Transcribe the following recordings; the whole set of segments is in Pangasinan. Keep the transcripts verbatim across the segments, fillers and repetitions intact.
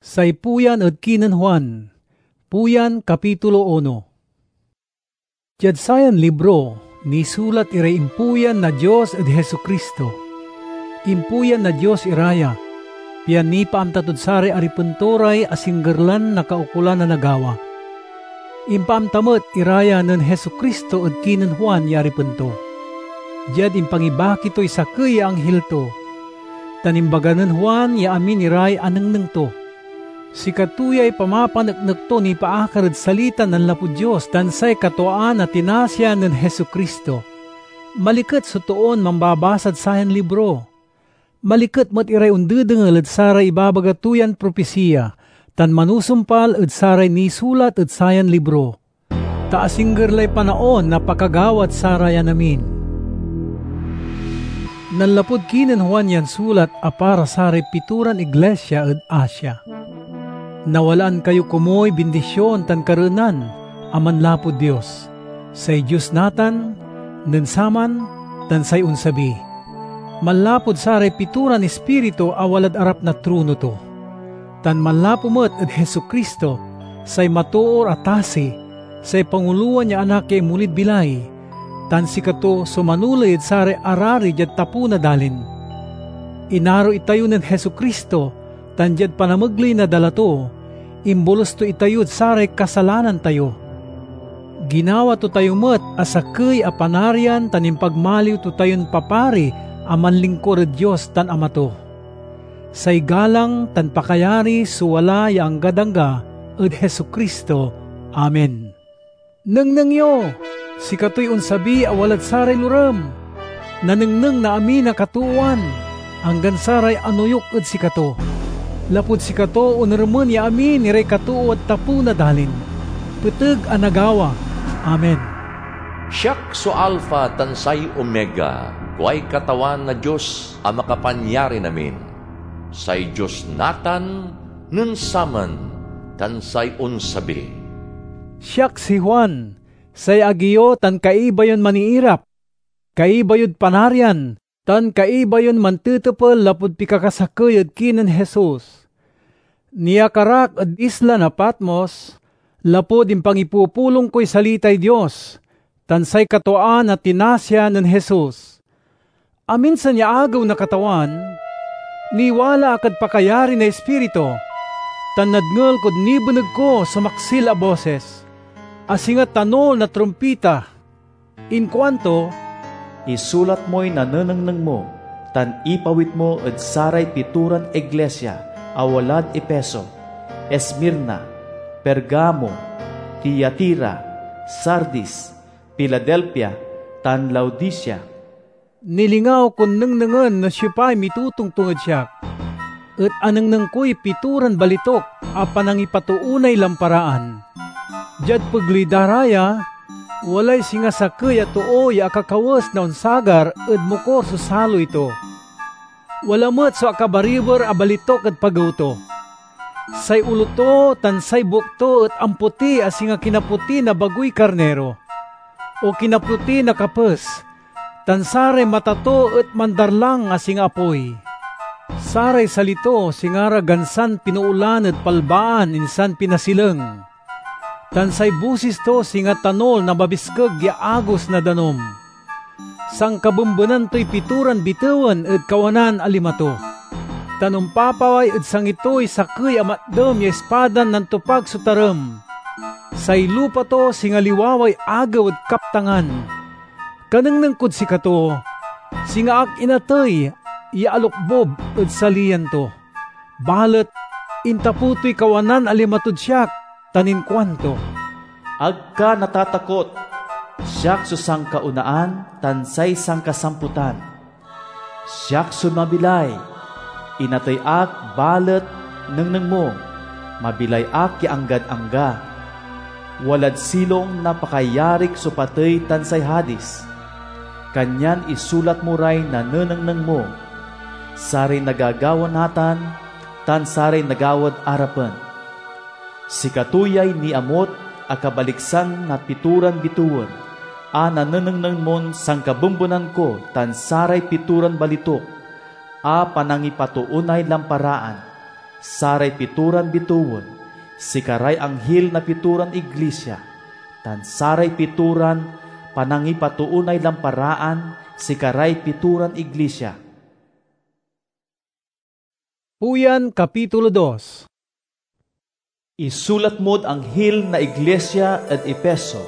Say puyan ed kinen Juan. Puyan, kapitulo uno. Diad sayan libro, nisulat iray impuyan na Dios ed Jesu-Cristo. Impuyan na Dios ira ya, pian nipaamta tod saray aripen to ray asingger lan nakaukolan a nagawa. Impaamta met ira ya nen Jesu-Cristo ed kinen Juan ya aripen to, diad impangibaki toy sakey ya anghil to, tan imbaga nen Juan ya amin iray anengneng to. Sikato yay pamapaneknek to nipaakar ed salita nanlapud Dios tan say katwaan a tinasian nen Jesu-Cristo. Maliket so toon mambabasad sayan libro. Maliket met iray ondedengel ed saray ibabaga to yan propisiya, tan manusumpal ed saray nisulat ed sayan libro. Ta asingger lay panaon na pakagawad sarayan amin. Nanlapud kinen Juan yan sulat a para saray pitoran iglesia ed Asia. Nawalaan kayo komuy bindision tan kareenan a manlapud Dios, say Dios natan, nen saman, tan say onsabi. Manlapud saray pitoran ispiritu a walad arap na trono to, tan manlapu met ed Jesu-Cristo, say matoor a tasi, say pangulowan ya Anak ya inmolid bilay, tan sikato so manoley ed saray arari diad tapew na dalin. Inaro itayo nen Jesu-Cristo, tan diad panamegley na dala to, imbolus to itayod saray kasalanan tayo. Ginawa to tayo met a sakey a Panarian tan impagmaliw to tayon papari a manlingkur ed Dios tan Ama to. Say galang tan pakayari so wala ya anggad angga ed Jesu-Cristo. Amen. Nengneng yo! Sikatoy onsabi a walad saray lorem. Nanengneng na amin a katoowan, anggan saray anoyuk ed sikato. Lapud sikato, oneremen ya amin iray katoowad tapew na dalin. Peteg a nagawa. Amen. Siak so Alfa tan say Omega, kuay Katawan na Dios a Makapanyarin-amin, say Dios natan, nen saman, tan say onsabi. Siak si Juan, say agi yo tan kaiba yon maniirap, kaiba yod Panarian, tan kaiba yon mantetepel lapud pikakasakey ed kinen Jesus. Niakar ak ed isla na Patmos, lapud impangipupulong koy salitay Dios, tan say katwaan a tinasian nen Jesus. Aminsan ya agew na Katawan, niwala ak ed pakayari na Ispiritu, tan nadngel kod nibeneg ko so maksil a bosis, a singa tanol na trumpita. Inkuanto, "Isulat moy nanenengneng mo tan ipawit mo ed saray pitoran iglesia a walad Efeso, Esmirna, Pergamo, Tiatira, Sardis, Filadelfia, tan Laodicea." Nilingaw kon nengnengen no siopay mitotongtong ed siak, et anengneng koy pitoran balitok a panangipatoonay lamparaan. Diad pegley da ra ya, walay singa sakey a too ya akakawes na onsagar ed mokor so saloy to. Wala met so akabariber a balitok ed pagew to. Say olo to tan say buek to et amputi a singa kinaputi na bagoy karniro, o kinaputi na kapes, tan saray mata to et mandarlang a singa apoy. Saray sali to singa ra gansan pinoolan ed palbaan insan pinasileng, tan say bosis to singa tanol na mabiskeg ya agos na danum. Sankabembenan toy pitoran bitewen ed kawanan a lima to, tan ompapaway ed sangi toy sakey a matdem ya ispadan nantopag so tarem. Say lupa to singa liwaway agew ed kaptangan. Kanengneng kod sikato, singa ak inatey ya alokbob ed saliyan to. Balet intapew toy kawanan a lima tod siak tan inkuanto, "Ag ka natatakot! Siak so sankaonaan tan say sankasamputan. Siak so mabilay. Inatey ak, balet nengneng mo, mabilay ak ya anggad angga. Walad silong na pakayarik so patey tan say Hadis. Kanyan isulat mo ray nanenengneng mo, saray nagagawa natan, tan saray nagawad arapen. Sikato yay niamut a kabaliksan na pitoran bitewen a nanenengneng mon sankabembenan ko tan saray pitoran balitok a panangipatoonay lamparaan. saray pitoran bitewen, sikaray anghil na pitoran iglisia, tan saray pitoran panangipatoonay lamparaan, sikaray pitoran iglisia. Uyan, kapitulo dos. Isulat mod anghil na iglisia ed Efeso: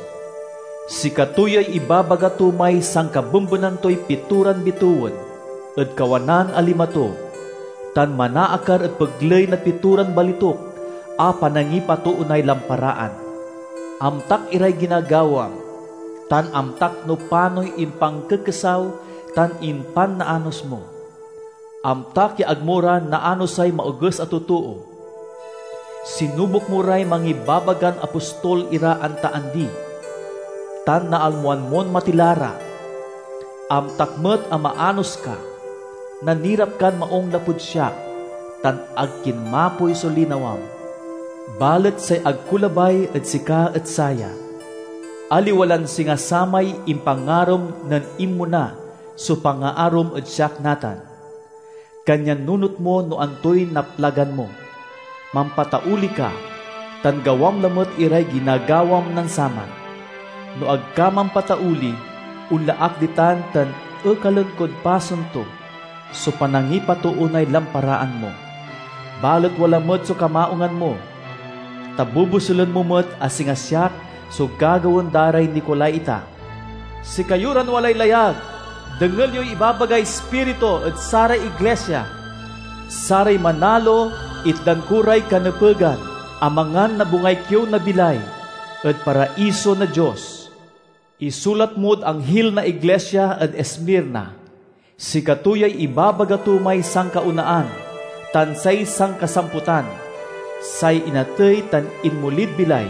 Sikato yay ibabaga to may sankabembenan toy pitoran bitewen ed kawanan a lima to, tan manaakar ed pegley na pitoran balituk a panangipatoonay lamparaan. Amtak iray ginagawam, tan amtak no panoy impangkekesaw tan impannaanos mo. Amtak ya ag mo ra naanosay maoges a totoo. Sinubok mo ray mangibabagan apostol ira anta andi, tan naalmoan mon matila ra. Amtak met a maanos ka. Nanirap kan maung lapud siak, tan ag kinmapoy so linawam. Balet say ag ko labay ed sika et saya: aliwa lan singa samay impangarom nen inmona so pangaarom ed siak natan. Kanyan nunot mo no antoy naplagan mo. Mampatauli ka, tan gawam lamet iray ginagawam nansaman. No ag ka mampatauli, onla ak ditan tan ekalen kod pasen to so panangipatoonay lamparaan mo. Balet wala met so kamaungan mo, ta bubuselen mo met a singa siak so gagawaen da ray Nicolaita. Sikayo ran walay layag, dengel yoy ibabagay Ispiritu ed saray iglisia. Saray manalo, itdan ko ray kanepegan a mangan na bungay kiew na bilay ed paraiso na Dios. Isulat mod anghil na iglisia ed Esmirna: Sikato yay ibabaga to may sankaonaan tan say sankasamputan, say inatey tan inmolid bilay.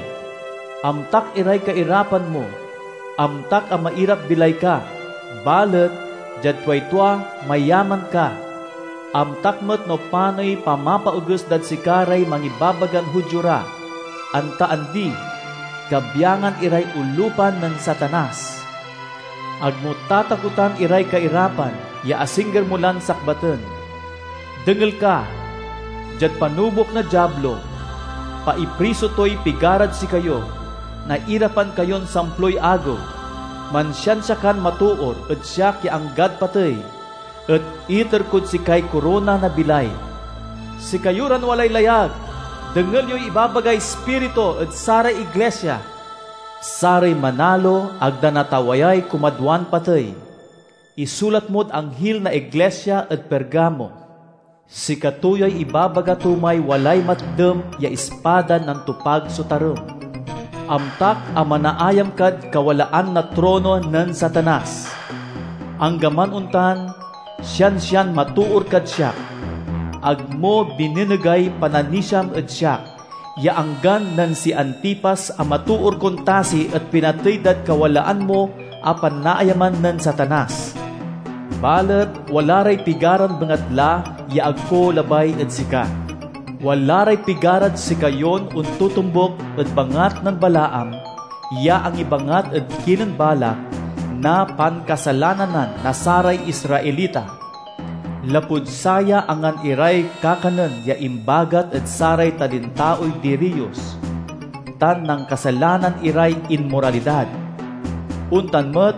Amtak iray kairapan mo, amtak a mairap-bilay ka, balet diad tuay tua mayaman ka. Amtak met no panoy pamapaoges dad sikaray mangibabagan Judio ra, anta andi, kabiangan iray olupan nen Satanas. Ag mo tatakotan iray kairapan ya asingger mo lan sakbaten. Dengel ka, diad panubok na Diablo, paipriso toy pigarad sikayo, nairapan kayon samploy agew. Mansiansia kan matoor ed siak ya anggad patey, et iter kod sikay korona na bilay. Sikayo ran walay layag, dengel yoy ibabagay Ispiritu ed saray iglisia. Saray manalo ag da natawayay kumadwan patey. Isulat mod anghil na iglisia ed Pergamo: Sikato yay ibabaga to may walay matdem ya ispada nantopag so tarem. Amtak a manaayam kad kawalaan na trono nen Satanas. Anggaman ontan, siansian matoor kad siak. Ag mo binenegay pananisiam ed siak, ya anggan nen si Antipas a matoor kon tasi et pinatey dad kawalaan mo a panaayaman nen Satanas. Balet wala ray pigaran bengatla ya ag ko labay ed sika. Wala ray pigarad sikayon ontotombuk ed bangat nen Balaam ya angibangat ed kinen Balak na pankasalananan na saray Israelita. Lapud saya angan iray kakanen ya imbagat ed saray talintaoy diriyos, tan nankasalanan iray inmoralidad. Ontan met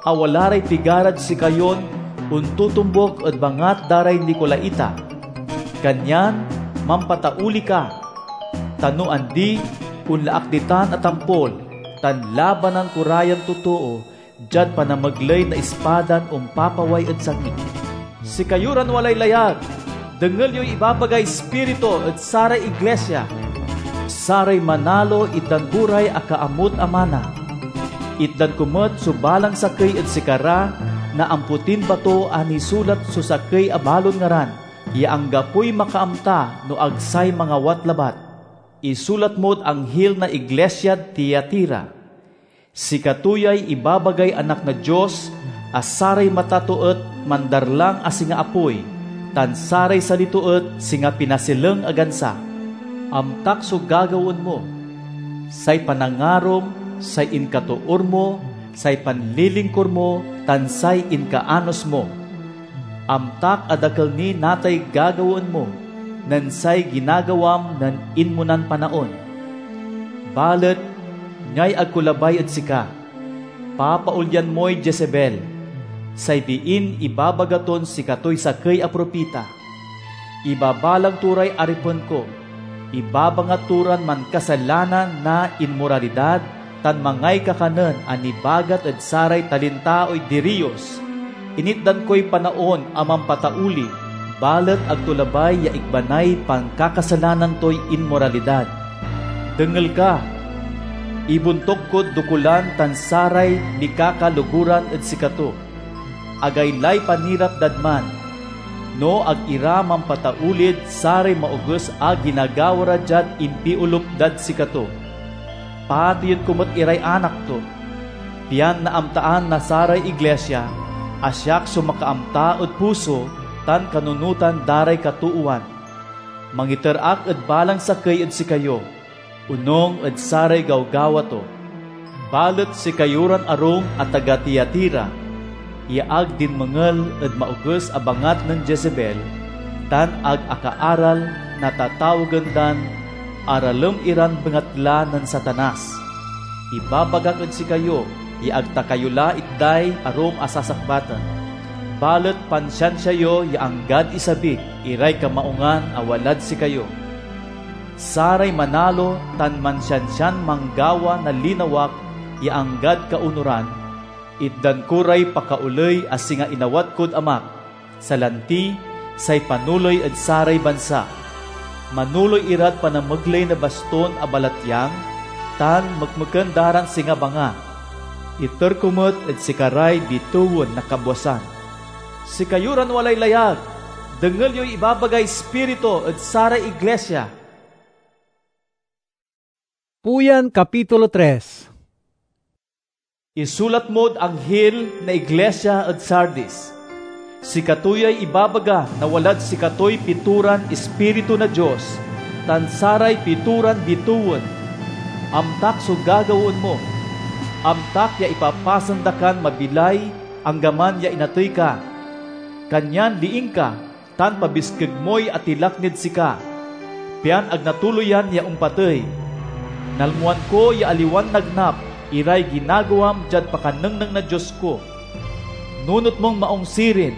a wala ray pigarad sikayon ontotombuk ed bangat da ray Nicolaita. Kanyan mampatauli ka, ta no andi, onla ak ditan a tampol, tan labanan ko ra yan totoo diad panamegley na ispadan ompapaway ed sakit. Sikayo ran walay layag, dengel yoy ibabagay Ispiritu ed saray iglisia. Saray manalo itdan ko ray akaamut a mana. Itdan ko met so balang sakey ed sikara na ampotin bato a nisulat so sakey a balon ngaran ya anggapoy makaamta no ag say mangawat labat. Isulat mod anghil na iglisiad Tiatira: Sikato yay ibabagay Anak na Dios a saray mata to et mandarlang a singa apoy, tan saray sali to et singa pinasileng a gansa. Amtak so gagawaen mo, say panangarom, say inkatoor mo, say panlilingkur mo, tan say inkaanos mo. Amtak a dakel ni natay gagawaen mo. nen say ginagawam nen inmonan panaon. Balet niay ag ko labay ed sika, papaolyan moy Jezebel, say biin ibabaga ton sikatoy sakey a propita. Ibabalang to ray aripen ko, ibabangat to ran mankasalanan na inmoralidad tan mangay kakanen a nibagat ed saray talintaoy diriyos. Initdan koy panaon a mampatauli, balet ag to labay ya ikbanay pankakasalanan toy inmoralidad. Dengel ka! Ibontuk kod dokulan tan saray mikakaloguran ed sikato. Agaylay panirap dad man, no ag ira mampataulid saray maoges a ginagawa ra diad impiolup dad sikato. Pateyen ko met iray anak to, pian naamtaan na saray iglesia a siak so makaamta ed puso tan kanunotan da ray katoowan. Mangiter ak ed balang sakey ed sikayo, onung ed saray gawgawa to. Balet sikayo ran arum a taga Tiatira ya ag dinmengel ed maoges a bangat nen Jezebel tan ag akaaral na tatawagen dan aralem iran bengatla nen Satanas, ibabagak ed sikayo ya ag ta kayo la itday arum a sasakbaten. Balet pansiansia yo ya anggad isabik iray kamaungan a walad sikayo. Saray manalo tan mansiansian manggawa na linawak ya anggad kaonuran, itdan ko ray pakaoley a singa inawat kod Amak, salanti say panoley ed saray bansa. Manoley irad panamegley na baston a balatyang tan mekmeken da ran singa banga. Iter ko met ed sikaray bitewen na kabwasan. Sikayo ran walay layag, dengel yoy ibabagay Ispiritu ed saray iglesia. Puyan, kapitulo tres. Isulat mod anghil na iglesia ed Sardis: Sikato yay ibabaga na walad sikatoy pitoran Ispiritu na Dios tan saray pitoran bitewen. Amtak so gagawaen mo. Amtak ya ipapasen da kan mabilay anggaman ya inatey ka. Kanyan liing ka, tan pabiskeg moy atilak nid sika, pian ag natuloyan ya ompatey. Nalmoan ko ya aliwan nagnap iray ginagawam diad pakanengneng na Dios ko. Nunot mon maong sirin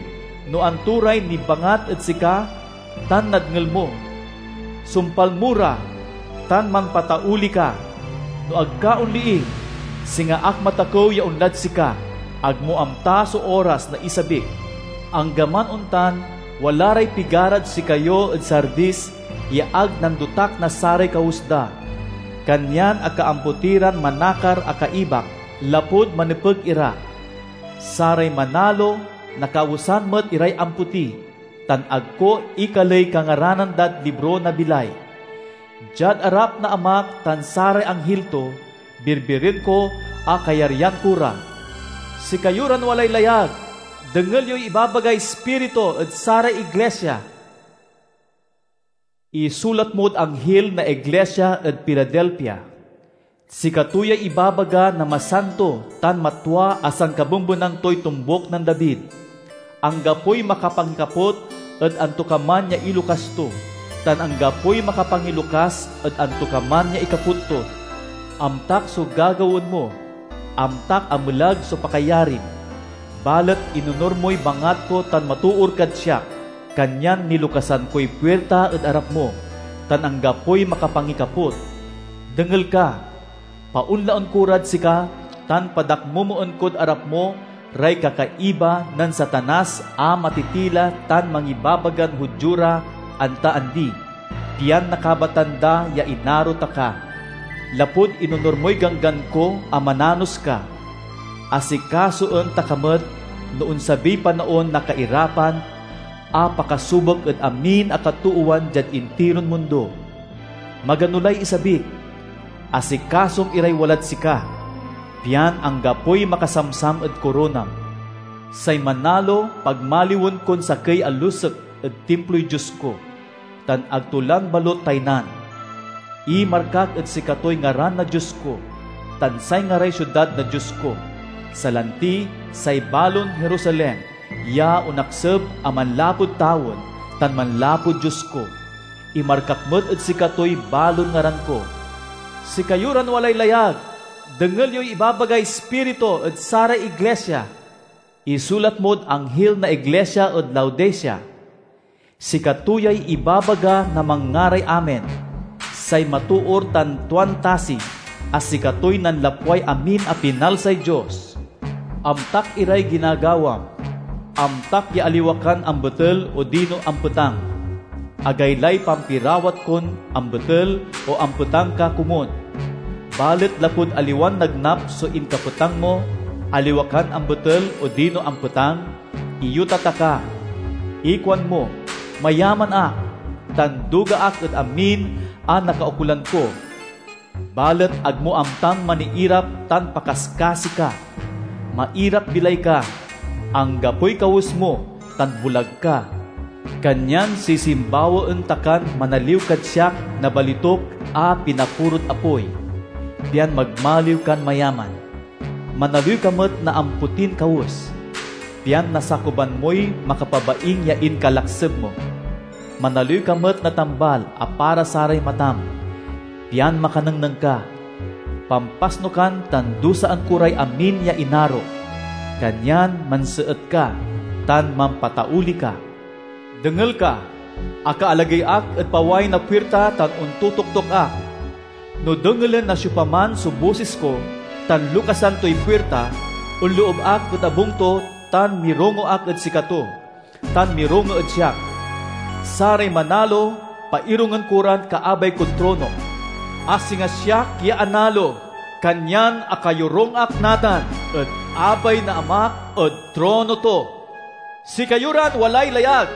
no anto ray nibangat ed sika tan nadngel mo. Sumpal mo ra, tan manpatauli ka. No ag ka onliing, singa ak matakew ya onlad sika, ag mo amta so oras na isabik. Anggaman ontan, wala ray pigarad sikayo ed Sardis ya ag nandotak na saray kawes da. Kanyan akaampoti ran manakar a kaibak, lapud manepeg ira. Saray manalo, nakawesan met iray ampoti, tan ag ko ikaley kangaranan dad libro na bilay. Diad arap na Amak tan saray anghil to, birbiren ko a kayaryan ko ra. Sikayo ran walay layag, dengel yoy ibabagay Ispiritu ed saray iglesia. Isulat mod anghil na iglesia ed Filadelfia: Sikato yay ibabaga na masanto tan matua a sankabembenan toy tombuk nen David. Anggapoy makapangikaput ed antokaman ya ilukas to, tan anggapoy makapangilukas ed antokaman ya ikaput to. Amtak so gagawaen mo, amtak a melag so pakayarim. Balet inonur moy bangat ko tan matoor kad siak, kanyan nilukasan koy puirta ed arap mo, tan anggapoy makapangikaput. Dengel ka! Paonlaen ko rad sika, tan padakmomoen kod arap mo ray kakaiba nen Satanas a matitila tan mangibabagan Judio ra anta andi, pian nakabatan da ya inaro ta ka, lapud inonur moy ganggan ko a mananos ka. Asikasoen ta ka met no onsabiy panaon na kairapan a pakasubek ed amin a katoowan diad intiron mundo. Magano lay isabik, asikasom iray walad sika, pian anggapoy makasamsam ed koronam. Say manalo, pagmaliwen kon sakey a lusek ed Timploy Dios ko, tan ag to lan balot taynan. Imarkak ed sikatoy ngaran na Dios ko, tan say ngaray siudad na Dios ko, salanti say balon Jerusalem ya onakseb a manlapud tawen tan manlapud Dios ko. Imarkak met ed sikatoy balon ngaran ko. Sikayo ran walay layag, dengel yoy ibabagay Ispiritu ed saray iglesia. Isulat mod anghil na iglesia ed Laodicea: Sikato yay ibabaga na Manngaray Amen, say matoor tan tuan tasi, a sikatoy nanlapway amin a pinalsay Dios. Amtak iray ginagawam. Amtak ya aliwa kan ambetel odino ampetang. Agaylay pampirawat kon ambetel o ampetang ka komun. Balet lapud aliwan nagnap so inkapetang mo, aliwa kan ambetel odino ampetang, iyota ta ka. Ikuan mo, "Mayaman ak, tan duga ak ed amin a nakaukolan ko." Balet ag mo amtan maniirap tan pakaskasi ka. Mairap-bilay ka, anggapoy kawes mo, tan bulag ka. Kanyan sisimbawaen ta kan manaliw kad siak na balitok a pinapurod apoy, pian magmaliw kan mayaman. Manaliw ka met na ampotin kawes, pian nasakuban moy makapabaing ya inkalakseb mo. Manaliw ka met na tambal a para saray matam, pian makanengneng ka. Pampasno kan tan dusaan ko ray amin ya inaro, kanyan manseet ka tan mampatauli ka. Dengel ka, akaalagey ak ed paway na puirta tan ontotoktok ak. No dengelen na siopaman so bosis ko tan lukasan toy puirta, onloob ak ed abung to tan mirongo ak ed sikato, tan mirongo ed siak. Saray manalo, pairongen ko ran kaabay kod trono, a singa siak ya analo, kanyan akayorung ak natan ed abay na Amak ed trono to. Sikayo ran walay layag,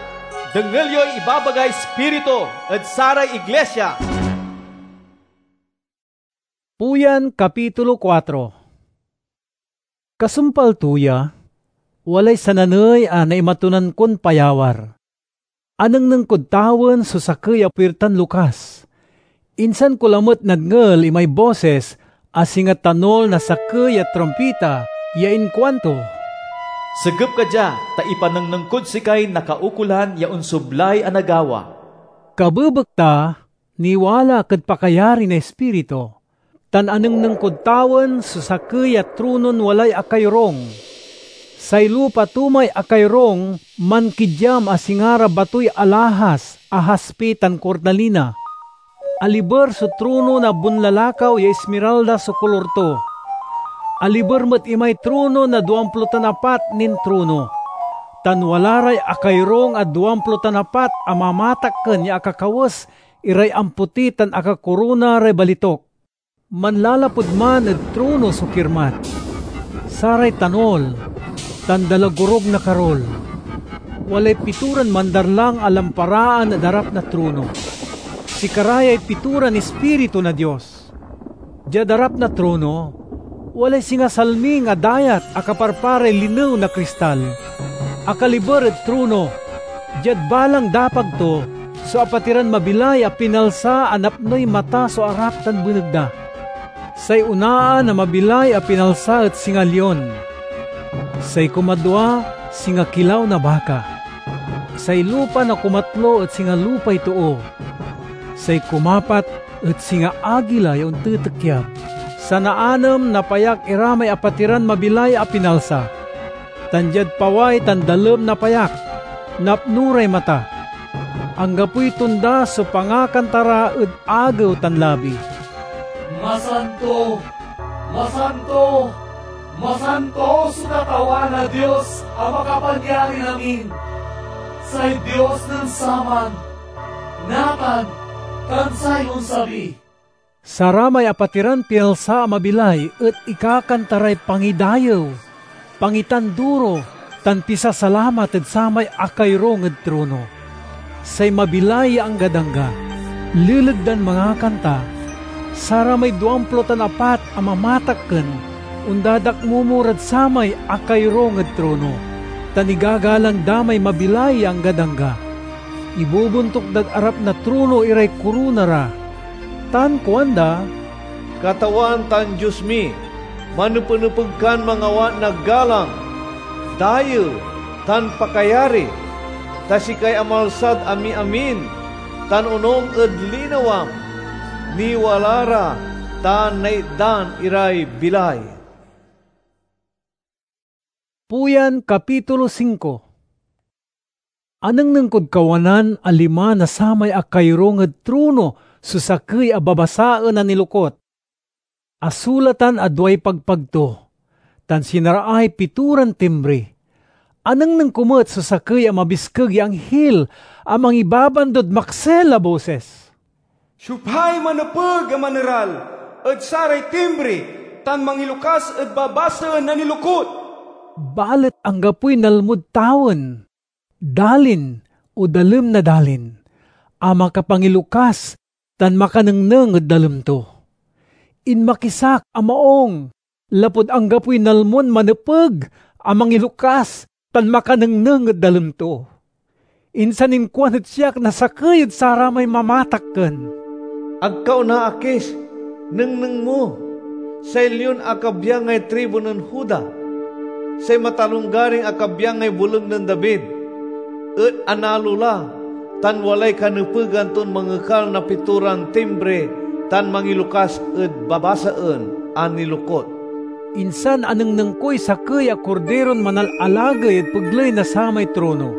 dengel yoy ibabagay Ispiritu ed saray iglesia. Puyan, kapitulo kuatro. Kasumpal to ya, walay sananey a naimatonan kon payawar. Anengneng kod tawen so sakey a puirtan lukas. Insan ko lamet nadngel imay bosis a singa tanol na sakey a trumpita ya inkuanto, "Segep ka dia, ta ipanengneng kod sikay nakaukolan ya onsoblay a nagawa." Kabebekta, niwala ak ed pakayari na Ispiritu, tan anengneng kod tawen so sakey a tronon walay akayorung. Say lupa to may akayorung mankidyam a singa ra batoy alahas a haspe tan kornalina. Aliber so trono na bunlalakaw ya ismiralda so kolor to. Aliber met imay trono na duamplo tan apat nin trono, tan wala ray akayorung a duamplo tan apat a mamatakken ya akakawes iray ampoti tan akakorona ray balitok. Manlalapud man ed trono so kirmat, saray tanol, tan dalagorog na karol. Walay pitoran mandarlang a lamparaan ed arap na trono. Sikara yay pitoran ispiritu na Dios. Diad arap na trono, walay singa salming a dayat a kaparparay linew na kristal. Akaliber ed trono, diad balang dapag to so apatiran mabilay a pinalsa a napnoy mata so arap tan beneg da. Say onaan a mabilay a pinalsa et singa lion. Say kumadwa, singa kilaw na baka. Say lupa na kumatlo et singa lupay too. Say kumapat et singa agila ya ontetekyab. Sanaanem na payak ira may apatiran mabilay a pinalsa, tan diad paway tan dalem na payak, napno ray mata. Anggapoy tonda so pangakanta ra ed agew tan labi. Masanto, masanto, masanto so Katawan a Dios a Makapanyarin-amin, say Dios nen saman, natan, tan say onsabi. Saramay apatiran pinalsa a mabilay et ikakanta ray pangidayew, pangitanduro, tan pisasalamat ed samay akayorung ed trono. Say mabilay ya anggad angga, leleg dan mangakanta. Saramay duamplo tan apat a mamatakken ondadakmomo rad samay akayorung ed trono, tan igagalang da may mabilay ya anggad angga. Ibobontuk dad arap na trono iray korona ra, tan kuanda, "Katawan tan Dios mi, manepenepeg kan mangawat na galang, dayew, tan pakayari, ta sikay amalsad amiamin, tan onung ed linawam, niwala ra, tan naitdan iray bilay. Puyan, kapitulo singko. Anengneng kod kawanan a lima na samay akayorung ed trono so sakey a babasaen a nilokut. Asulatan a duay pagpag to, tan sinaraay pitoran timbre. Anengneng ko met so sakey a mabiskeg ya anghil a mangibabandod maksil a bosis, "Siopay manepeg a maneral ed saray timbre tan mangilokas ed babasaen a nilokut?" Balet anggapoy nalmod tawen, dalin, o dalem na dalin, a makapangilokas tan makanengneng ed dalem to. Inmakisak a maong, lapud anggapoy nalmon manepeg a mangilokas tan makanengneng ed dalem to. Insan inkuan ed siak na sakey ed saramay mamatakken, "Ag ka onaakis! Nengneng mo! Say leon a kabyangay tribu nen Juda, say matalonggaring a kabyangay boleg nen David, et analo la, tan walay kanepegan ton mangekal na pitoran timbre tan mangilokas ed babasaen a nilokut." Insan anengneng koy sakey a Kordiron manalalagey ed pegley na samay trono,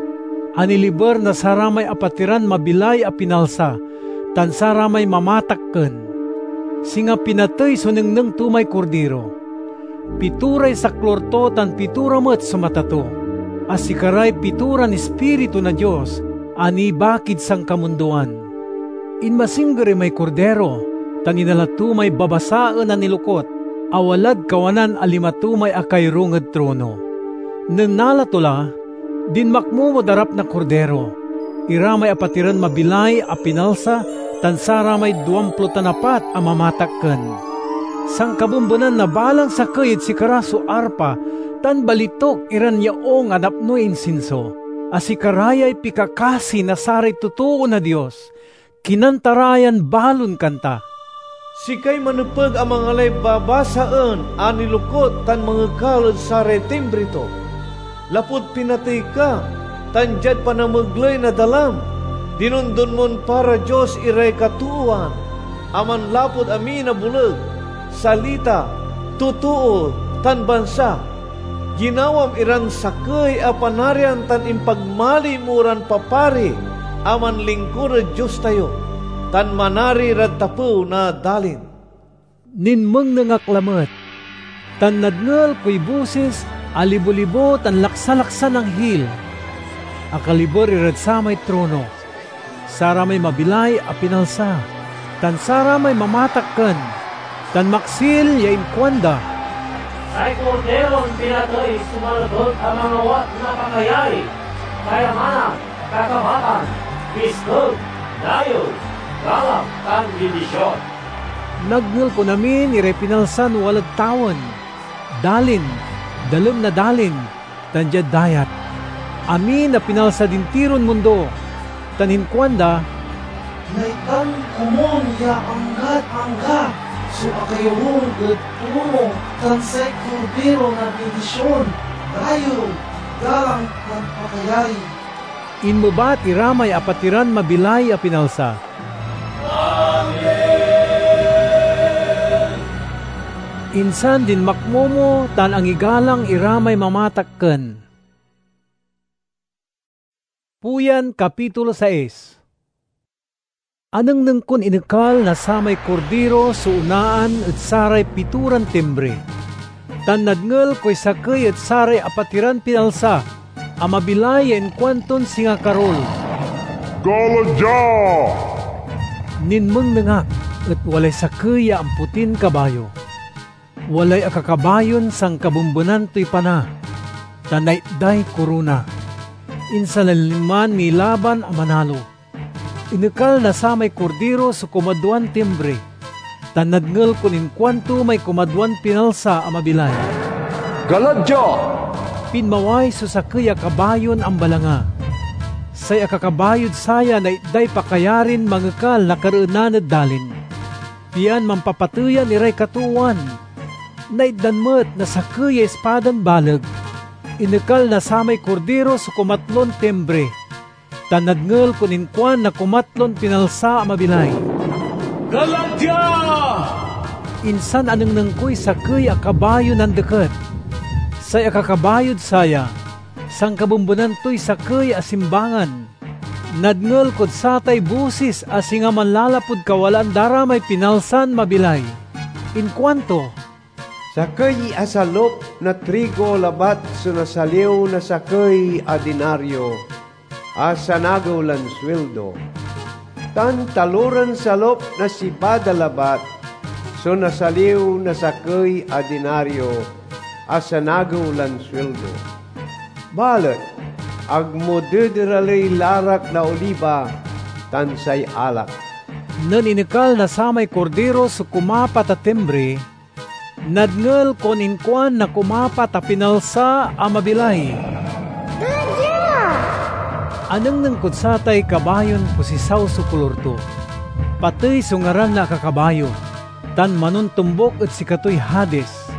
a niliber na saramay apatiran mabilay a pinalsa tan saramay mamatakken. Singa pinatey so nengneng to may Kordiro. Pitoray saklor to tan pitora met so mata to, a sikaray pitoran Ispiritu na Dios a nibakid sankamundoan. Inmasingger imay Kordiro, tan inala to may babasaen a nilokut, a walad kawanan a lima to may akayorung ed trono. Nen nala to la, dinmakmo mod arap na Kordiro, ira may apatiran mabilay a pinalsa tan saramay duamplo tan apat a mamatakken. Sankabembenan na balang sakey ed sikara so arpa tan balituk iran yaung a napnoy insinso, a sikara yay pikakasi na saray totoo na Dios. Kinanta ra yan balon kanta, "Sikay manepeg a mangalay babasaen a nilokut tan mangekal ed saray timbre to, lapud pinatey ka, tan diad panamegley na dalam, dinondon mon para Dios iray katoowan a manlapud amin a boleg, salita, totoo, tan bansa. Ginawam iran sakey a panarian tan impagmaliw mo ran papari a manlingkur ed Dios tayo, tan manari rad tapew na dalin." Ninmengneng ak lamet, tan nadngel koy bosis a libo-libo tan laksa-laksan anghil a kaliber irad samay trono, saramay mabilay a pinalsa, tan saramay mamatakken, tan maksil ya inkuanda, "Say Kordiron pinatey so manepeg a mangawat na pakayari, kayamanan, kakabatan, biskeg, dayew, galang, tan bindision." Nadngel kon amin iray pinalsan walad tawen, dalin, dalem na dalin, tan diad dayat, amin a pinalsad intiron mundo, tan inkuanda, "Naitdan komun ya anggad angga so akayorung ed trono tan say Kordiro na bindision, dayew, galang, tan pakayari." Inmebat ira may apatiran mabilay a pinalsa, "Amen!" Insan dinmakmomo tan angigalang ira may mamatakken. Puyan, kapitulo sais. Anengneng kon inekal na samay Kordiro so onaan ed saray pitoran timbre, tan nadngel koy sakey ed saray apatiran pinalsa a mabilay ya inkuanton singa karul, "Gala dia!" Ninmengneng ak, et walay sakey ya amputin kabayo. Walay akakabayon sankabembenan toy pana, tan naitday korona. Insan linma nilaban a manalo. Inekal na samay Kordiro so kumaduan timbre, tan nadngel kon inkuanto may kumaduan pinalsa a mabilay, "Gala dia!" Pinmaway so sakey a kabayon ambalanga. Say akakabayod saya naitday pakayarin mangekal na kareenan ed dalin, pian mampapateyan iray katoowan. Naitdan met na sakey ya ispadan baleg. Inekal na samay Kordiro so kumatlon timbre. tan nadngel kon inkuan na kumatlon pinalsa a mabilay, "Gala dia!" Insan anengneng koy sakey a kabayo nandeket. Say akakabayod saya, sankabembenan toy sakey a simbangan. Nadngel kod satay bosis a singa manlalapud kawalaan da ra may pinalsan mabilay. Inkuanto, "Sakey a salop na trigo labat so nasaliw na sakey a dinario a sanagew lan sueldo, tan taloran salop na sibada labat so nasaliw na sakey a dinario a sanagew lan sueldo. Balet ag mo dederaley larak na oliba tan say alak." Nen inekal na samay Kordiro so kumapat a timbre, nadngel kon inkuan na kumapat a pinalsa a mabilay, "Gala dia!" Anengneng kod satay kabayon posisaw so kolor to. Patey so ngaran na akakabayo, tan manontombuk ed sikatoy Hades.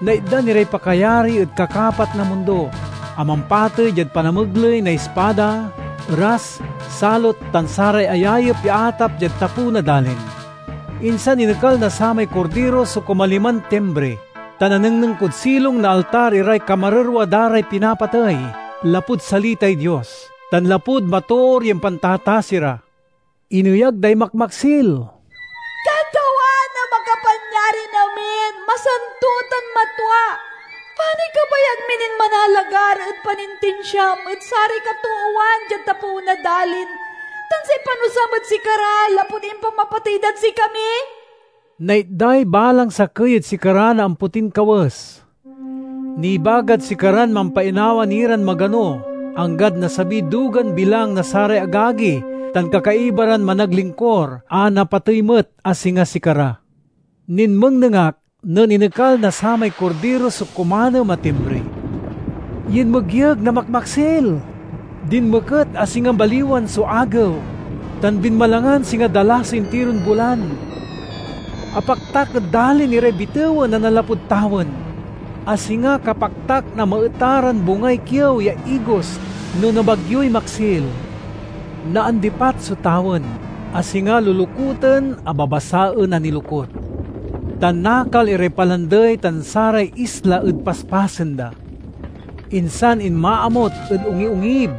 Naitdan iray pakayari ed kakapat na mundo, a mampatey diad panamegley na ispada, eras, salot, tan saray ayayep ya atap diad tapew na dalin. Insan inekal na samay Kordiro so kumaliman timbre, tan anengneng kod silong na altar iray kamarerwa da ray pinapatey, lapud salitay Dios, tan lapud matoor ya impantatasi ra. Ineyag day makmaksil, "Katawan a Makapanyarin-amin, masanto tan matua! Panay kabayag mi nin manalagar ed panintinsiam ed saray katoowan diad tapew na dalin, tan say panusam ed sikara lapud impamapatey dad sikami?" Naitday balang sakey ed sikara na ampotin kawes. Nibagad sikaran mampainawa ni ran magano, anggad nasabiy dugan bilang na saray agagi tan kakaiba ran managlingkor a napatey met a singa sikara. Ninmengneng ak nen inekal na samay Kordiro so kumanem a timbre. Yinmegyeg na makmaksil. Dinmeket a singa baliwan so agew, tan binmalangan singa dala so intiron bulan. Apaktak ed dalin iray bitewen a nanlapud tawen, a singa kapaktak na maetaran bungay kiew ya igos no nabagyoy maksil. Naandipat so tawen, a singa lulukuten a babasaen a nilukot, tan nakal iray palandey tan saray isla ed paspasen da. Insan inmaamot ed ongiongib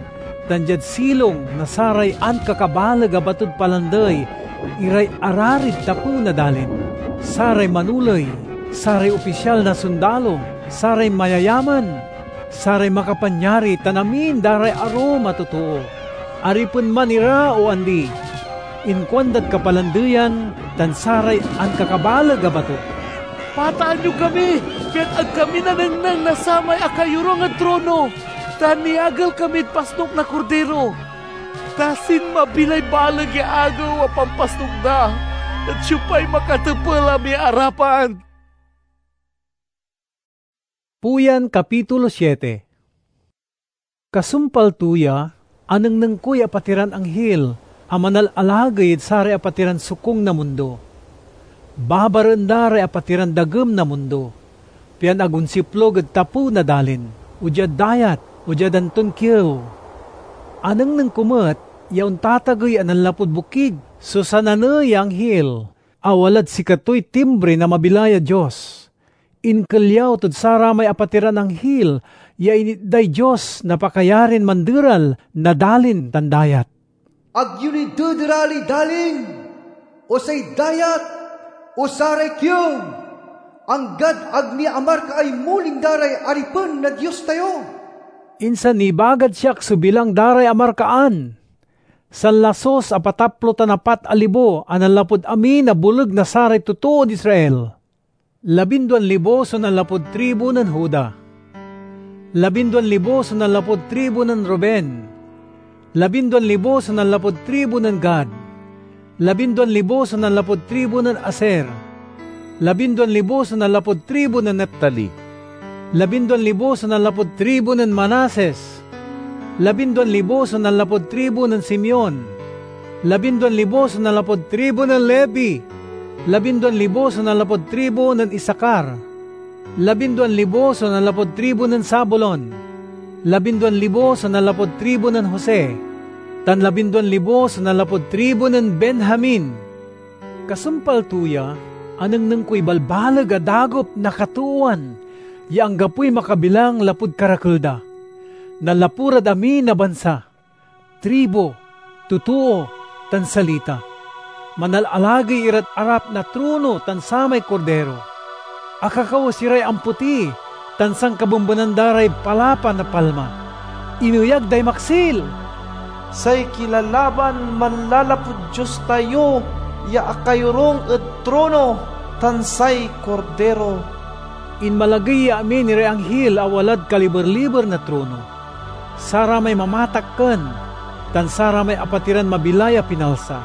tan diad silong na saray ankakabaleg a batod palandey iray ararid tapew na dalin, saray manoley, saray opisyal na sondalo, saray mayayaman, saray makapanyari tan amin da ray arum a totoo. Aripen man ira o andi, inkuandad kapalandeyan tan saray ankakabaleg a bato, "Pataan yo kami, pian ag kami nanengneng na samay akayorung ed trono, ta niagel kamid pasnok na Kordiro. Ta sinmabi lay baleg ya agew a pampasnok da, et siopay makatepel a miarapan?" Puyan, Kapitulo siete. Kasumpal to ya, anengneng koy apatiran anghil a manalalagey ed saray apatiran sokung na mundo. Babaraen da ray apatiran dagem na mundo, pian ag onsiplog ed tapew na dalin, o diad dayat, o diad anton kiew. Anengneng ko met ya ontatagey a nanlapud bokig so sananey ya anghil a walad sikatoy timbre na mabilay a Dios. Inkelyaw tod saramay apatiran anghil ya initday Dios na pakayarin manderal na dalin tan dayat. "Ag yo ni dederaley dalin, o say dayat, o saray kiew, anggad ag ni amarkaay muling da ray aripen na Dios tayo." Insan nibagad siak so bilang da ray amarkaan. Sanlasus a pataplo tan apat a libo a nanlapud amin a boleg na saray totood Israel. Labinduan libo so nanlapud tribu nen Juda. Labinduan libo so nanlapud tribu nen Ruben. Labinduan libo so nanlapud tribu nen Gad. Labinduan libo so nanlapud tribu nen Aser. Labinduan libo so nanlapud tribu nen Neftali. Labinduan libo so nanlapud tribu nen Manases. Labinduan libo so nanlapud tribu nen Simeon. Labinduan libo so nanlapud tribu nen Levi. Labinduan libo so nanlapud tribu nen Isakar. Labinduan libo so nanlapud tribu nen Zabulon. Labinduan libo so nanlapud tribu nen Jose. tan labinduan libo so nanlapud tribu nen Benjamin. Kasumpal to ya, anengneng koy balbaleg a dagop na katoowan ya anggapoy makabilang lapud karakel da. Nanlapu rad amin a bansa, tribu, totoo, tan salita. Manalalagey irad arap na trono tan samay Kordero. Akakawes iray amputi, tan sankabembenan da ray palapa na palma. Ineyag day maksil. Say kilalaban manlalapud Dios tayo ya akayorung ed trono tan say Kordero. Inmalagey ya amin iray anghil a walad kaliber-liber na trono, saramay mamatakken, tan saramay apatiran mabilay a pinalsa.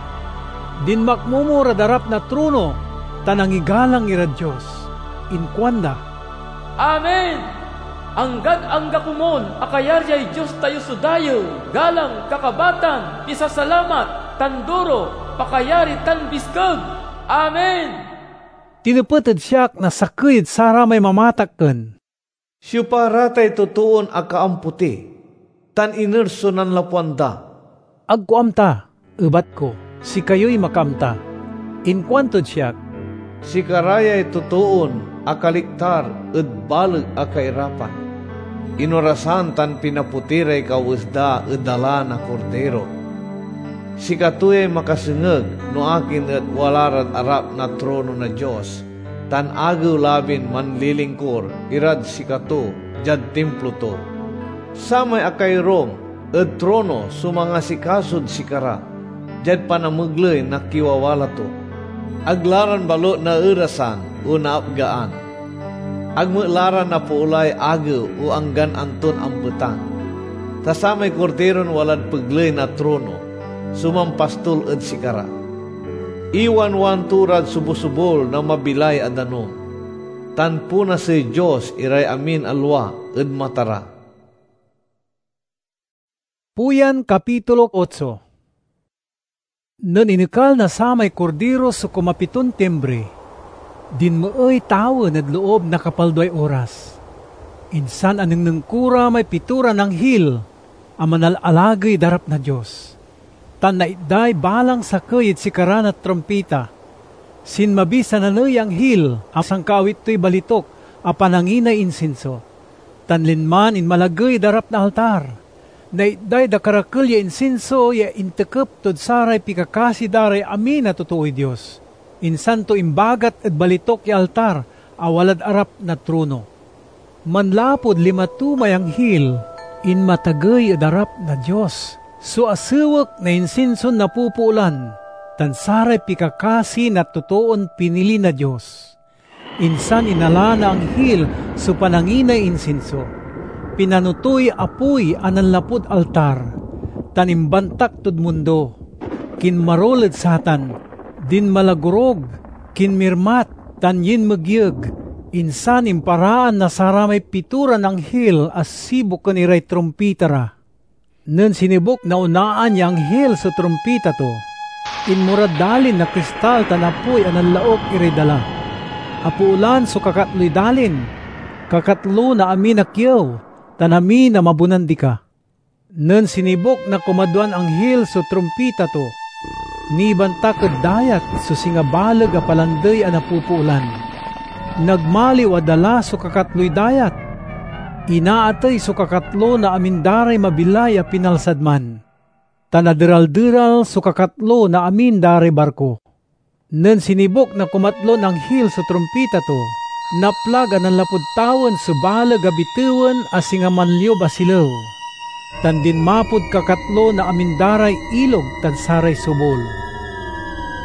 Dinmakmomo rad arap na trono tan angigalang irad Dios. Inkuanda, "Amen! Anggad angga komon a kayaryay Dios tayo so dayew, galang, kakabatan, pisasalamat, tan duro, pakayari, tan biskeg! Amen!" Tinepet ed siak na sakey ed saramay mamatakken, "Siopa ra tay totoon akaamputi, tan iner so nanlapuan da?" "Ag ko amta," ebat ko, "sikayoy makaamta." Inkuantod siak, "Sikara yay totoon akaliktar ed baleg a kairapan. Inorasan tan pinaputi ray kawes da ed dala na Kordero. Sikato yay makasengeg no akin et wala rad arap na trono na Dios, tan agew labin manlilingkur irad sikato diad Timplo to. Samay akayorung ed trono so mangasikasod sikara diad panamegley na kiwawala to. Ag la ran balut naerasan o naapgaan. Ag met la ra napoolay agew o anggan anton ambetan. Ta samay Korderon walad pegley na trono so mampastol ed sikara. Iwanwan to rad sobosubol na mabilay a danum, tan punasey Dios iray amin a lua ed mata ra." Puyan, kapitulo otso. Nen inekal na samay Kordero so kumapiton timbre, dinmeey tawen ed loob na kapalduay oras. Insan anengneng ko ra may pitoran anghil a manalalagey ed arap na Dios, tan naitday balang sakey ed sikara na trumpita. Sinmabi so naney ya anghil a sankaawit toy balitok a pananginay insinso, tan linman inmalagey ed arap na altar. Naitday dakerakel ya insinso ya intekep tod saray pikakasi da ray amin a totooy Dios. Insan to imbagat ed balitok ya altar a walad arap na trono. Manlapud lima to may anghil, inmatagey ed arap na Dios so asewek na insinson napupoolan tan saray pikakasi na totoon pinili na Dios. Insan inala na anghil so pananginay insinso. Pinano toy apoy a nanlapud altar, tan imbantak tod mundo. Kinmarul ed satan, dinmalagorog, kinmirmat, tan yinmegyeg. Insan imparaan na saramay pitoran anghil a sibuken iray trumpita ra. Nen sinibuk na onaan ya anghil so trumpita to, inmorad dalin na kristal tan apoy a nanlauk iray dala. Apoolan so kakatloy dalin, kakatlo na amin a kiew, tan amin a mabonan dika. Nen sinibuk na kumadwan anghil so trumpita to, nibantak ed dayat so singa baleg a palandey a napupoolan. Nagmaliw a dala so kakatloy dayat. Inaatey so kakatlo na amin da ray mabilay a pinalsad man, tan aderal-deral so kakatlo na amin da ray barko. Nen sinibuk na kumatlon anghil so trumpita to, naplag a nanlapud tawen so baleg a bitewen a singa manliub a silew, tan dinmapod kakatlo na amin da ray ilog tan saray subol.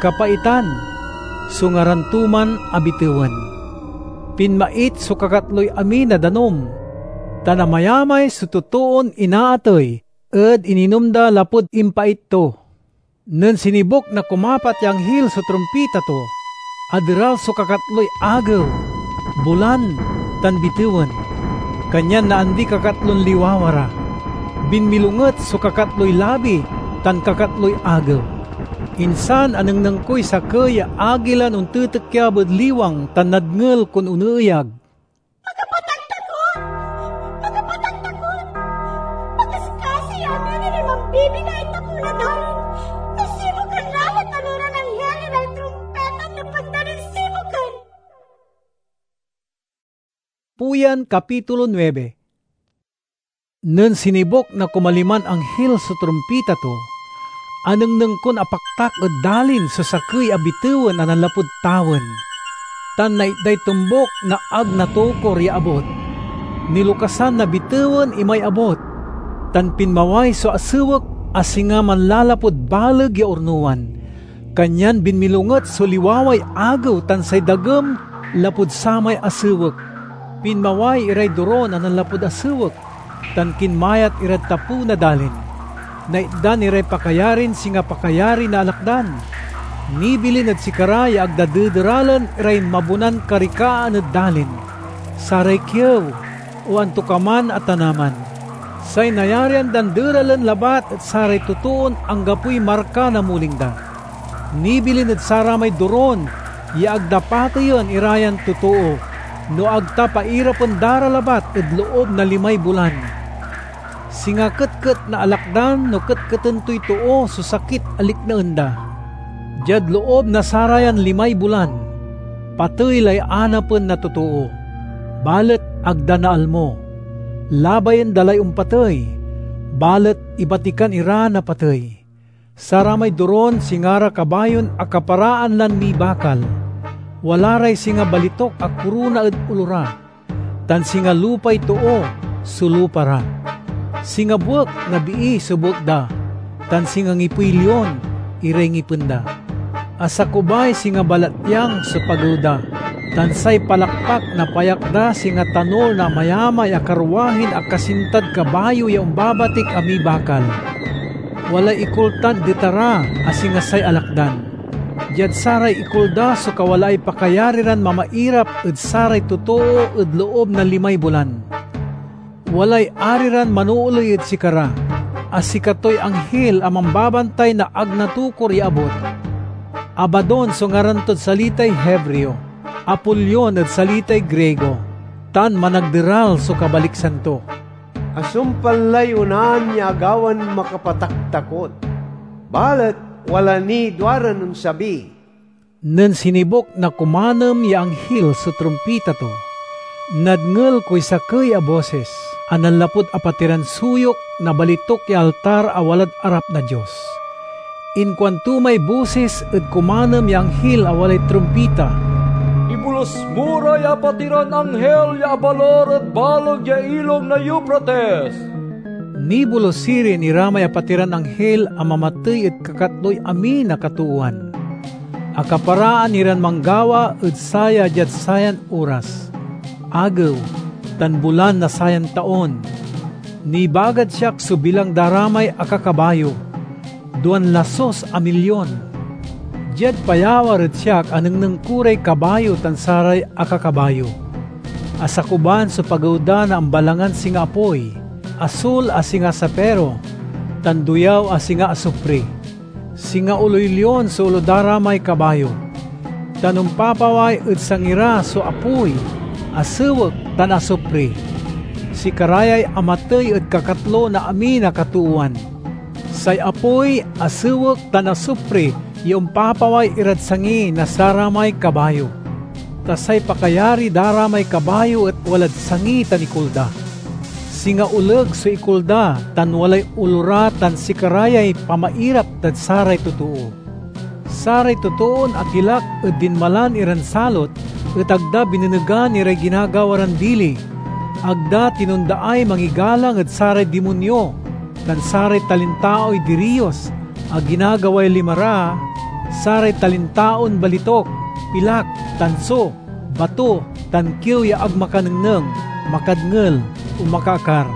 Kapaitan so ngaran to man a bitewen. Pinmait so kakatloy amin a danum, tan amayamay so totoon inaatey ed ininom da lapud impait to. Nen sinibuk na kumapat ya anghil so trumpita to, aderal so kakatloy agew, bulan, tan bitewen. Kanyan naandi kakatlon liwawa ra. Binmilonget so kakatloy labi tan kakatloy agew. Insan anengneng koy sakey ya agilan ontetekyab ed liwang tan nadngel kon oneeyag, "Makapataktakot! Makapataktakot! Makaskasi ya amin iray mambibinay tapew na Uyan, kapitulo nuebe. Nen sinibuk na kumaliman anghil so trumpita to, anengneng kon apaktak ed dalin so sakey a bitewen a nanlapud tawen, tan naitday tombuk na ag natukor ya abut. Nilokasan na bitewen imay abut, tan pinmaway so asewek a singa manlalapud baleg ya urnowan. Kanyan binmilonget so liwaway agew tan say dagem lapud samay asewek. Pinmaway iray dorun a nanlapud asewek, tan kinmayat irad tapew na dalin. Naitdan iray pakayarin singa pakayari na alakdan. Nibilin ed sikara ya ag da dederalen iray mabonan karikaan ed dalin, saray kiew, o antokaman a tanaman. Say nayarian dan deralen labat et saray totoon anggapoy marka na muling da. Nibilin ed saramay dorun ya ag da pateyen irayan totoo, no ag ta pairapen da ra labat ed loob na limay bulan. Singa ketket na alakdan no ketketen toy too so sakit a likneen da. Diad loob na sarayan limay bulan, patey lay anapen na totoo, balet ag da naalmo. Labayen da lay ompatey, balet ibatikan ira na patey. Saramay dorun singa ra kabayon akaparaan lan mibakal. Wala ray singa balituk a korona ed olo ra, tan singa lupay too so lupa ra. Singa buek na bii so buek da, tan singa ngipey lion iray ngipen da. Asakubay singa balatyang so pagew da, tan say palakpak na payak da singa tanol na amayamay a karwahin akasintad kabayo ya ombabatik a mibakal. Walay ikul tan deta ra a singa say alakdan. Diad saray ikul da so kawalaay pakayari ran mamairap ed saray totoo ed loob na limay bulan. Walay ari ran manooley ed sikara, a sikatoy anghil a mambabantay na ag natukor ya abut. Abadon so ngaran tod salitay Hebreo, Apolion ed salitay Griego, tan Managderal so kabaliksan to. Asumpal lay onaan ya agawan makapataktakot, balet wala niy duaran onsabi. Nen sinibuk na kumanem ya anghil so trumpita to, nadngel koy sakey a bosis a nanlapud apatiran suyok na balituk ya altar a walad arap na Dios. Inkuanto may bosis ed kumanem ya anghil a walay trumpita, "Ibolus mo ray apatiran anghil ya abalor ed baleg ya Ilong na Eufrates!" Nibolus sirin iramay apatiran anghil a mamatey ed kakatloy amin a katoowan. Akaparaan iran manggawa ed saya diad sayan oras, agew, tan bulan na sayan taon. Nibagad siak so bilang da ramay akakabayo, duan lasus a milyon. Diad payawar ed siak anengneng ko ray kabayo tan saray akakabayo. Asakuban so pagew da na ambalangan singa apoy, asul a singa sapiro, tan duyaw a singa asupre. Singa oloy lion so olo da ramay kabayo, tan ompapaway ed sangi ra so apoy, asewek, tan asupre. Sikara yay amatey ed kakatlo na amin a katoowan. Say apoy, asewek, tan asupre ya ompapaway irad sangi na saramay kabayo. Ta say pakayari da ramay kabayo et walad sangi tan ikul da. Singa oleg so ikul da, tan walay olo ra, tan sikara yay pamairap dad saray totoo. Saray totoon akilak ed dinmalan iran salot et ag da binenegan iray ginagawa ran dili. Ag da tinondaay mangigalang ed saray dimonyo tan saray talintaoy diriyos a ginagaway lima ra, saray talintaon balituk, pilak, tanso, bato, tan kiew ya ag makanengneng, makadngel, o makaakar.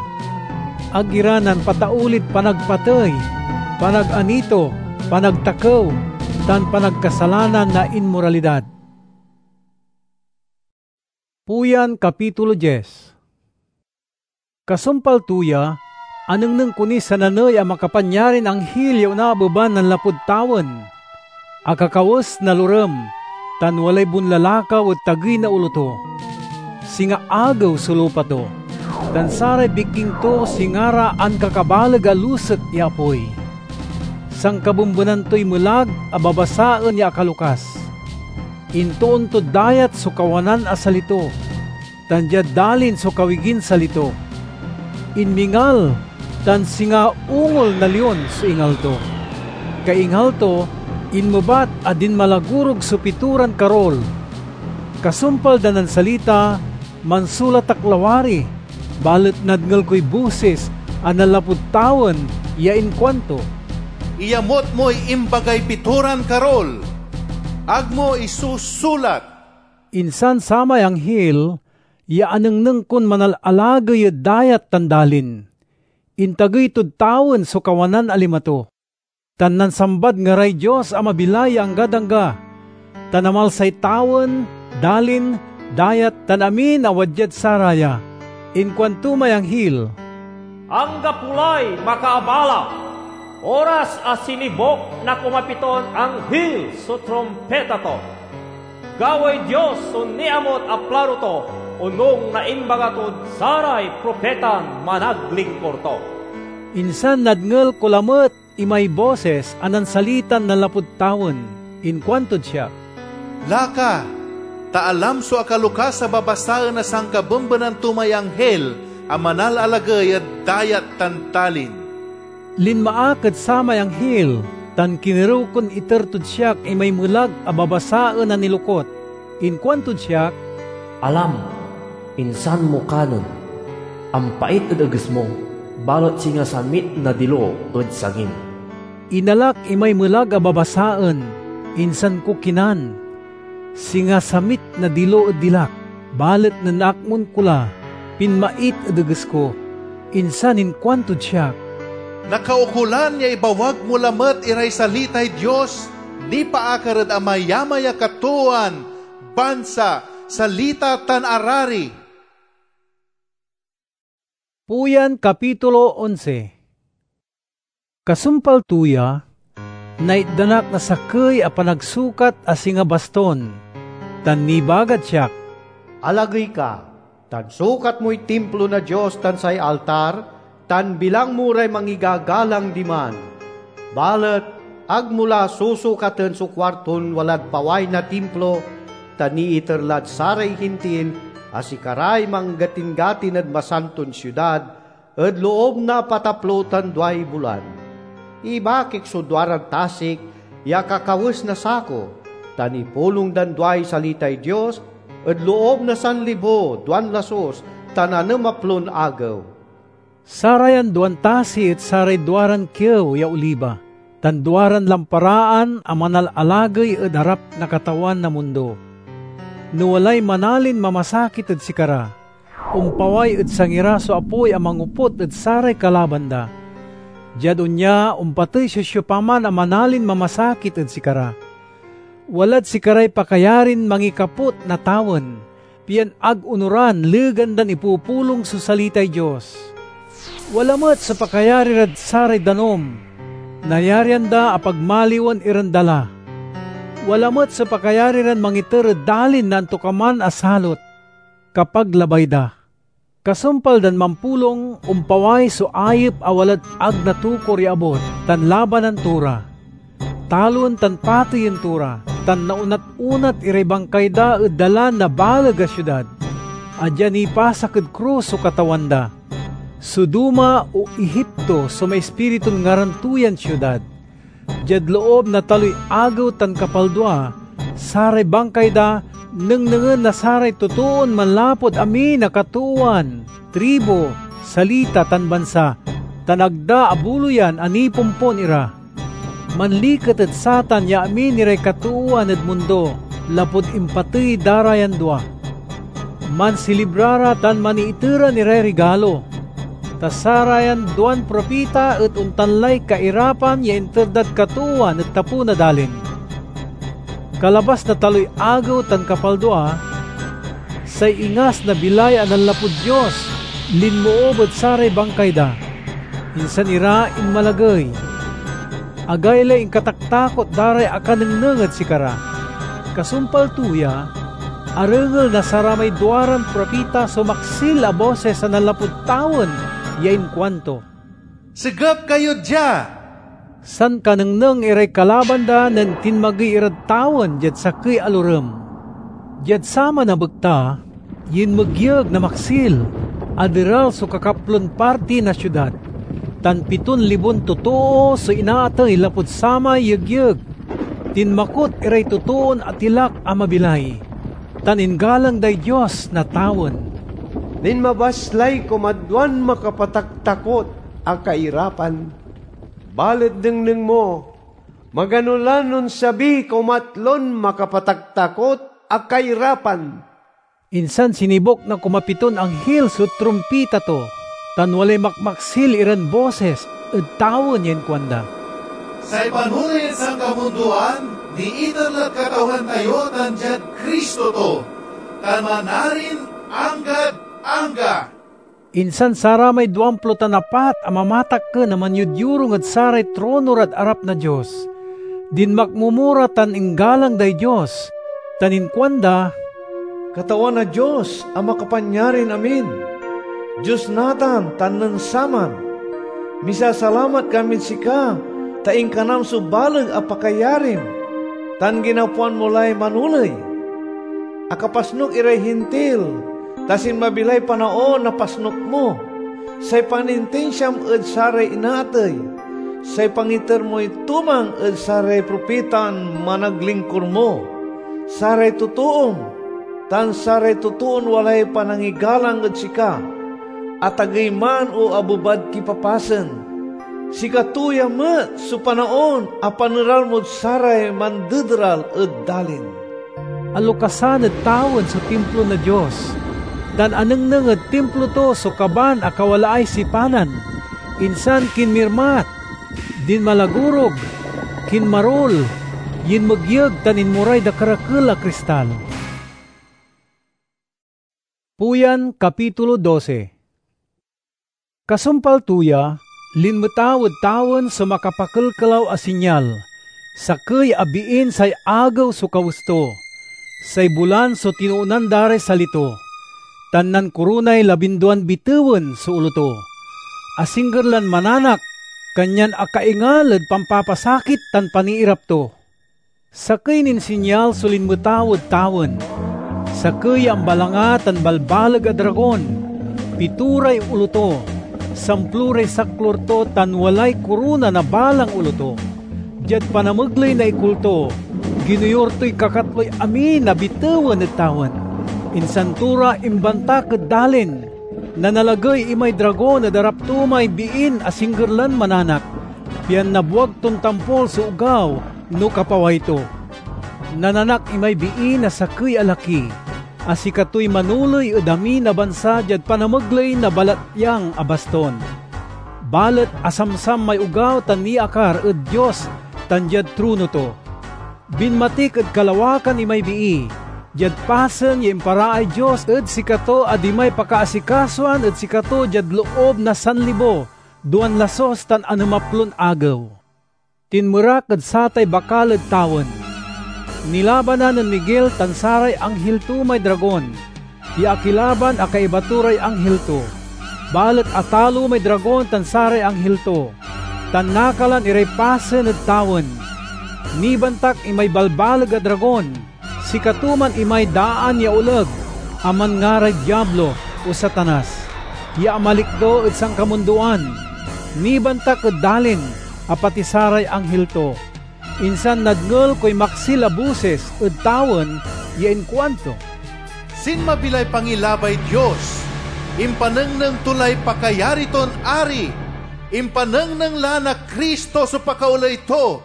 Ag ira nanpataulid panagpatey, panaganito, panagtakew, tan panagkasalanan na inmoralidad. Puyan, kapitulo diez. Kasumpal to ya, anengneng ko niy sananey a makapanyarin anghil ya onaabeban nanlapud tawen. Akakawes na lorem, tan walay bonlalakaw ed tagey na olo to. Singa agew so lupa to, tan saray bikking to singa ra ankakabaleg a lusek ya apoy. Sankabembenan toy melag a babasaen ya akalokas. Intoon tod dayat so kawanan a sali to. tan diad dalin so kawiginsalito. Inmingal, tan singa ungol na lion so ingal to. Kaingal to, inmebat a dinmalagorog so pitoran karol. Kasumpal da nansalita, mansulat ak lawari, balet nadngel koy bosis a nanlapud tawen ya inkuanto, "Iyamut moy imbagay pitoran karol. Ag mo isusulat." Insan samay anghil ya anengneng kon manalalagey ed dayat tan dalin. Intagey tod tawen so kawanan a lima to, tan nansambad ngaray Dios a mabilay ya anggad angga, tan amalsay tawen, dalin, dayat, tan amin a wadiad saraya. Inkuanto may anghil, "Anggapo lay makaabala! Oras a sinibuk na kumapiton anghil so trumpeta to. Gawaey Dios so niamut a plano to onung na imbaga tod saray propetan managlingkur to." Insan nadngel ko lamet imay bosis a nansalitan nanlapud tawen. Inkuantod siak, "Laka, ta alam so akalokas a babasaen na sankabembenan to may anghil a manalalagey ed dayat tan dalin." Linma ak ed samay anghil, tan kinerew kon iter tod siak imay melag a babasaen a nilokut. Inkuantod siak, "Alam, insan mo kanen, ampait ed eges mo, balet singa samit na dilo ed sangim." Inalak imay melag a babasaen, insan ko kinan. Singa samit na dilo ed dilak, balet nen akmon ko la, pinmait ed eges ko. Insan inkuantod siak, "Nakaukolan ya ibawag mo lamet iray salitay Dios nipaakar ed amayamay a katoowan, bansa, salita, tan arari." Puyan, kapitulo onse. Kasumpal to ya, naitdan ak na sakey a panagsukat a singa baston, tan nibagad siak, "Alagey ka, tan sukat moy Timplo na Dios tan say altar, tan bilang mo ray mangigagalang diman. Balet ag mo la susukaten so kuarton walad paway na Timplo, ta niiter lad saray Hintil a sikaray manggatinggatin ed masanton siudad, ed loob na pataplo tan duay bulan. Ibakik so duaran tasik ya kakawes na sako, tan ipulong dan duay salitay Dios ed loob na sanlibo duan lasus tan anem a plon agew." Sarayan duan tasi et saray duaran kiew ya oliba, tan duaran lamparaan a manalalagey ed arap na Katawan na mundo. No walay manalin mamasakit ed sikara, ompaway ed sangi ra so apoy a mangoput ed saray kalaban da. Diad onya, ompatey so siopaman a manalin mamasakit ed sikara. Walad sikaray pakayarin mangikaput na tawen, pian ag onoran legan dan ipupulong so salitay Dios. Wala met so pakayari rad saray danum. Nayarian da a pagmaliwen iran dala. Wala met so pakayari ran mangiter ed dalin na antokaman a salot. Kapag labay da. Kasumpal dan mampulong, ompaway so ayep a walad ag natukor ya abut tan labanan to ra. Taloen tan pateyen to ra, tan naunat-unat iray bangkay da ed dalan na baleg a siudad, a dia nipasak ed krus so Katawan da. Sodoma o Egipto so maispiritun ngaran to yan siudad. Diad loob na taloy agew tan kapaldua, saray bangkay da nengnengen na saray totoon manlapud amin a katoowan, tribu, salita, tan bansa, tan ag da abuloyan a nipompon ira. Manliket ed satan ya amin iray katoowan ed mundo, lapud impatey da ra yan dua. Mansilibra ra tan maniiteran iray rigalo. Ta sarayan duan propita et ontan lay kairapan ya inter dad katoowan ed tapew na dalin. Kalabas na taloy agew tan kapaldua, say ingas na bilay a nanlapud Dios linmoob ed saray bangkay da, insan ira inmalagey. Agaylay inkataktakot da ray akanengneng ed sikara. Kasumpal to ya, arengel na saramay duaran propita so maksil a bosis a nanlapud tawen ya inkuanto, "Segep kayo dia!" Sankanengneng iray kalaban da nen tinmagey irad tawen diad sakey a lorem. Diad saman a bekta, Yinmegyeg na maksil, aderal so kakaplon parti na siudad, tan piton libon totoo so inaatey lapud samay yegyeg. Tinmakot iray totoon atilak a mabilay, tan inggalang day Dios na tawen. Linmabas lay kumadwan makapataktakot a kairapan. Balet nengneng mo, magano lan onsabiy kumatlon makapataktakot a kairapan. Insan sinibuk na kumapiton anghil so trumpita to, tan walay makmaksil iran bosis ed tawen ya inkuanda, "Say panoley ed sankamundoan niiter lad Katawan tayo tan diad Cristo to, tan manarin anggad angga!" Insan saramay duamplo tan apat a mamatakken a manyodyorung ed saray trono rad arap na Dios, dinmakmomo ra tan inggalang day Dios, tan inkuanda, "Katawan a Dios a Makapanyarin-amin, Dios natan tan nen saman, misasalamat kamid sika ta inkanam so baleg a pakayarim, tan ginapoan mo lay manoley. Akapasnok iray Hintil, ta sinmabi lay panaon na pasnok mo. Say panintinsiam ed saray inaatey, say pangiter moy tumang ed saray propitan managlingkur mo, saray totoom, tan saray totoon walay panangigalang ed sika, atagey man o abebad kipapasen. Sikato ya met so panaon a paneral mod saray mandederal ed dalin." Alokasan ed tawen so Timplo na Dios, tan anengneng ed Timplo to so kaban a kawalaay sipanan, insan kinmirmat, dinmalagorog, kinmarul, yinmegyeg tan inmoray dakerakel a kristal. Puyan, kapitulo dose. Kasumpal to ya, linmetaw ed tawen so makapakelkelaw a sinyal, sakey a biin say agew so kawes to, say bulan so tinoonan da ray sali to, tan nankoronay labinduan bitewen so olo to. Asingger lan mananak, kanyan akaingal ed pampapasakit tan paniirap to. Sakey nin sinyal so linmetaw ed tawen: sakey ya ambalanga tan balbaleg a dragon. Pito ray olo to, samplo ray saklur to, tan walay korona na balang olo to. Diad panamegley na ikul to, ginoyor toy kakatloy amin a bitewen ed tawen. Insan to ra imbantak ed dalin. Nanalagey imay dragon ed arap to may biin asingger lan mananak, pian nabwag ton tampol so ogaw no kapaway to. Nananak imay bii na sakey a laki, a sikatoy manoley ed amin a bansa diad panamegley na balatyang a baston. Balet asamsam may ogaw tan niakar ed Dios tan diad trono to. Binmatik ed kalawakan imay bii, diad pasen ya imparaay Dios ed sikato a dimay pakaasikasoan ed sikato diad loob na sanlibo duan lasus tan anemaplon agew. Tinmerak ed satay bakal ed tawen. Nilabanan nen Miguel tan saray anghil to may dragon, ya akilaban a kaiba to ray anghil to. Balet atalo may dragon tan saray anghil to, tan nakalan iray pasen ed tawen. Nibantak imay balbaleg a dragon, sikato man imay daan ya oleg a manngaray Diablo o Satanas, ya amalikdo ed sankamundoan. Nibantak ed dalin a pati saray anghil to. Insan nadngel koy maksil a bosis ed tawen ya inkuanto, "Sinmabi lay pangilabay Dios! Impanengneng to lay pakayari ton ari! Impanengneng la na Cristo so pakaoley to,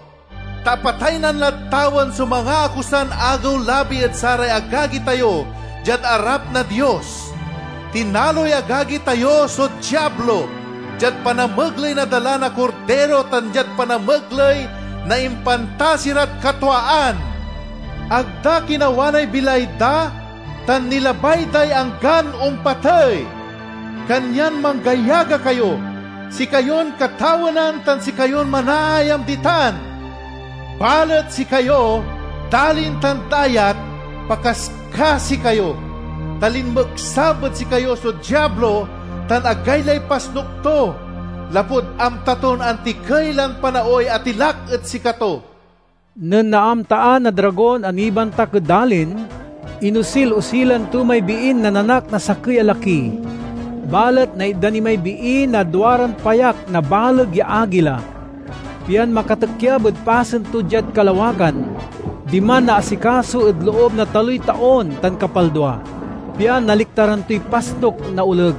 ta apataynan lad tawen so mangaakusan agew-labi ed saray agagi tayo diad arap na Dios. Tinaloy agagi tayo so Diablo diad panamegley na dala na Kordiro tan diad panamegley na impantas irad katwaan. Ag da kinawanay bilay da, tan nilabay day anggan ompatey. Kanyan manggayaga kayo, sikayon katawenan tan sikayon manaayam ditan! Balet sikayo, dalin tan dayat, pakaskasi kayo, ta linmeksab ed sikayo so Diablo tan agaylay pasnok to, lapud amta ton antikey lan panaoy atilak ed sikato." Nen naamtaan na dragon a nibantak ed dalin, Inusil-usilan to may biin nananak na sakey a laki, balet naitdan imay bii na duaran payak na baleg ya agila, pian makatekyab ed pasen to diad kalawagan. Diman naasikaso ed loob na taloy taon tan kapaldua, pian naliktaran toy pasnok na oleg.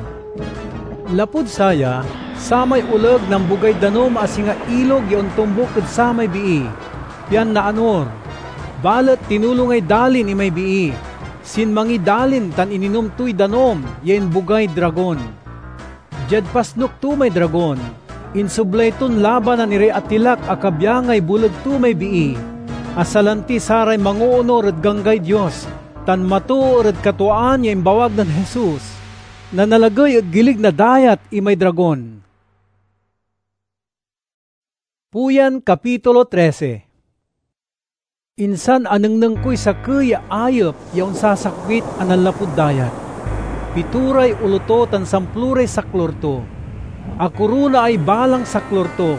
Lapud saya, samay oleg nambogay danum a singa ilog ya ontombuk ed samay bii, pian naanor. Balet tinulongay dalin imay bii, sinmangiy dalin tan ininom toy danum ya imbogay dragon. Diad pasnok to may dragon, insoblay ton labanan iray atilak a kabyangay boleg to may bii, a salanti saray mangoonor ed Ganggay Dios tan matoor ed katwaan ya imbawag nen Jesus, nanalagey ed gilig na dayat imay dragon. Puyan, kapitulo trese. Insan anengneng koy sakey ya ayep ya onsasakbit a nanlapud dayat. Pitoray olo to tan samploray saklor to. Akoronaay balang saklor to,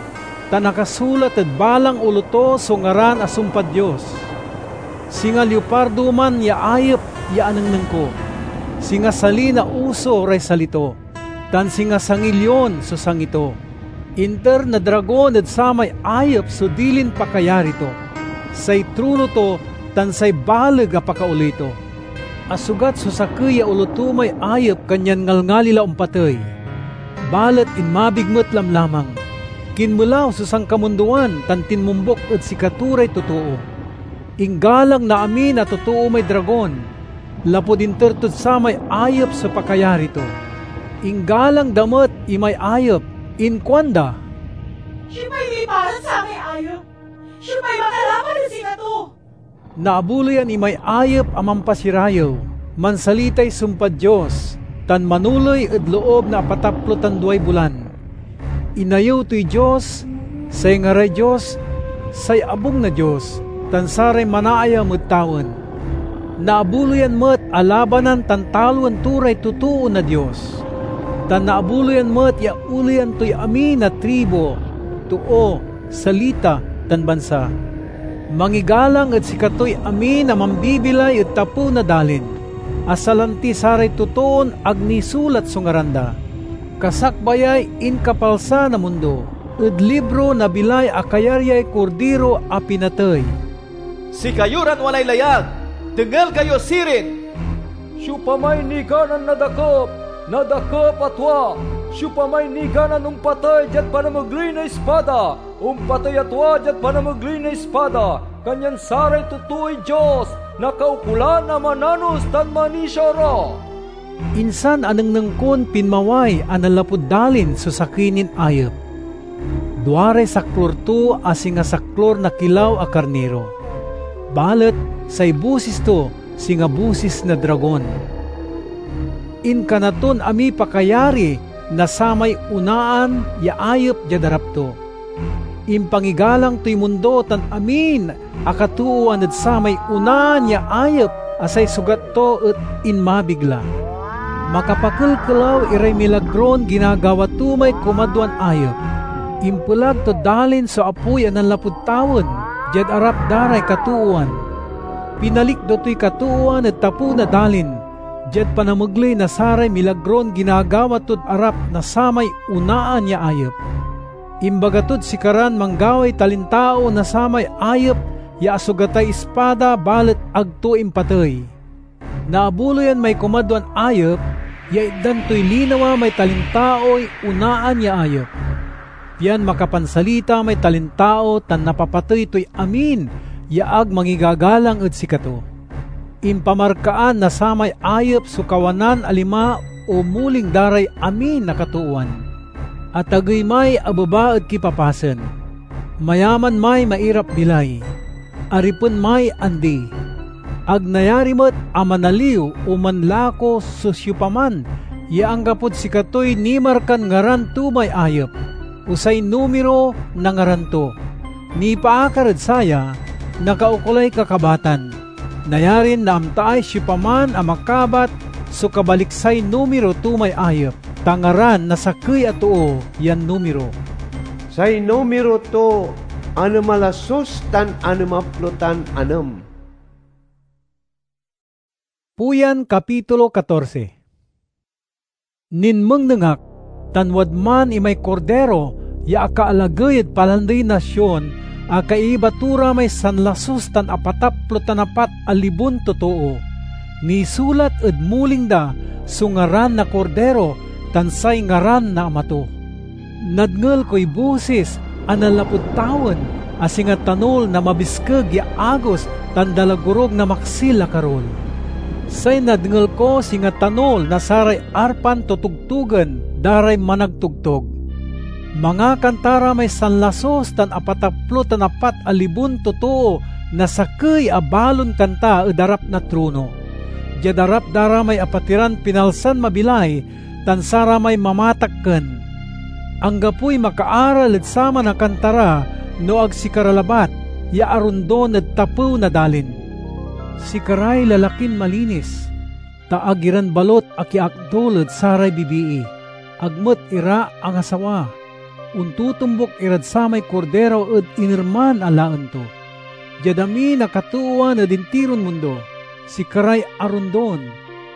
tan akasulat ed balang olo to so ngaran a sumpad Dios. Singa leopardo man ya ayep ya anengneng ko. Singa sali na oso ray sali to, tan singa sangi lion so sangi to. Inter na dragon ed samay ayep so dilin pakayari to, say trono to, tan say baleg a pakaoley to. Asugat so sakey ya olo to may ayep, kanyan ngalngali la ompatey. Balet inmabig met lamlamang. Kinmelaw so sankamundoan tan tinmombuk ed sikato ray totoo. Inggalang na amin a totoo may dragon, lapud inter tod samay ayep so pakayari to. Inggalang da met imay ayep, inkuanda, "Siopay miparan samay ayep? Siopay makalaban ed sikato?" Naabuloyan imay ayep a mampasirayew, mansalitay sumpad Dios, tan manoley ed loob na apataplo tan duay bulan. Inayew toy Dios, say ngaray Dios, say abung na Dios, tan saray manaayam ed tawen. Naabuloyan met a labanan tan taloen to ray totoo na Dios. Tan naabuloyan met ya oleyan toy amin a tribu, too, salita, tan bansa. Mangigalang ed sikatoy amin a mambibilay ed tapew na dalin, a salanti saray totoon ag nisulat so ngaran da. Kasakbayay inkapalsa na mundo ed libro na bilay a kayaryay Kordiro a pinatey. Sikayo ran walay layag, dengel kayo sirin! Siopamay niganan na dakep, na dakep a tua, siopamay niganan ompatey diad panamegley na ispada, ompatey a tua diad panamegley na ispada, kanyan saray totooy Dios nakaukolan a mananos tan manisia ra. Insan anengneng kon pinmaway a nanlapud dalin so sakey nin ayep. Duaray saklor to a singa saklor na kilaw a karniro, balet say bosis to singa bosis na dragon. Inkana ton amiy pakayari na samay onaan ya ayep diad arap to. Impangigalang toy mundo tan amin a katoowan ed samay onaan ya ayep a say sugat to et inmabig la. Makapakelkelaw iray milagron ginagawa to may kumadwan ayep. Impelag tod dalin so apoy a nanlapud tawen diad arap da ray katoowan. Pinalikdo toy katoowan ed tapew na dalin diad panamegley na saray milagron ginagawa tod arap na samay onaan ya ayep. Imbaga tod sikaran manggaway talintao na samay ayep ya asugatay ispada, balet ag to impatey. Naabuloyan may kumadwan ayep ya itdan toy linawa may talintaoy onaan ya ayep, pian makapansalita may talintao tan napapatey toy amin ya ag mangigagalang ed sikato. Impamarkaan na samay ayep so kawanan a lima o muling da ray amin a katoowan. Atagey may abeba ed kipapasen. Mayaman may mairap-bilay. Aripen may andi. Ag nayari met a manaliw o manlako so siopaman ya anggapod sikatoy nimarkan ngaran to may ayep, o say numero na ngaran to. Nipaakar ed saya, nakaukolay kakabatan. Nayarin naamtaay siopaman a makabat so kabaliksay numero to may ayep, ta ngaran na sakey a too yan numero. Say numero to, anem a lasus tan anem a plo tan anem. Puyan, kapitulo katorse. Ninmengneng ak, tan wadman imay Kordiro ya akaalagey ed Palandey na Sion a kaiba to ra may sanlasus tan apataplo tan apat a libon totoo. Nisulat ed muling da so ngaran na Kordiro tan say ngaran na Ama to. Nadngel koy bosis a nanlapud tawen a singa tanol na mabiskeg ya agos tan dalagorog na maksil a karul. Say nadngel ko singa tanol na saray arpan totogtogen da ray managtogtog. Mangakanta ra may sanlasus tan apataplo tan apat a libon totoo na sakey a balon kanta ed arap na trono. Diad arap da ra may apatiran pinalsan mabilay tan saramay mamatakken. Anggapoy makaaral ed saman a kanta ra no ag sikara labat ya arondon ed tapew na dalin. Sikaray lalakin malinis, ta ag iran balut akiakdul ed saray bibii, ag met ira angasawa. Ontotombuk irad samay Kordiro ed inerman a laen to. Diad amin a katoowan ed intiron mundo, sikaray arondon,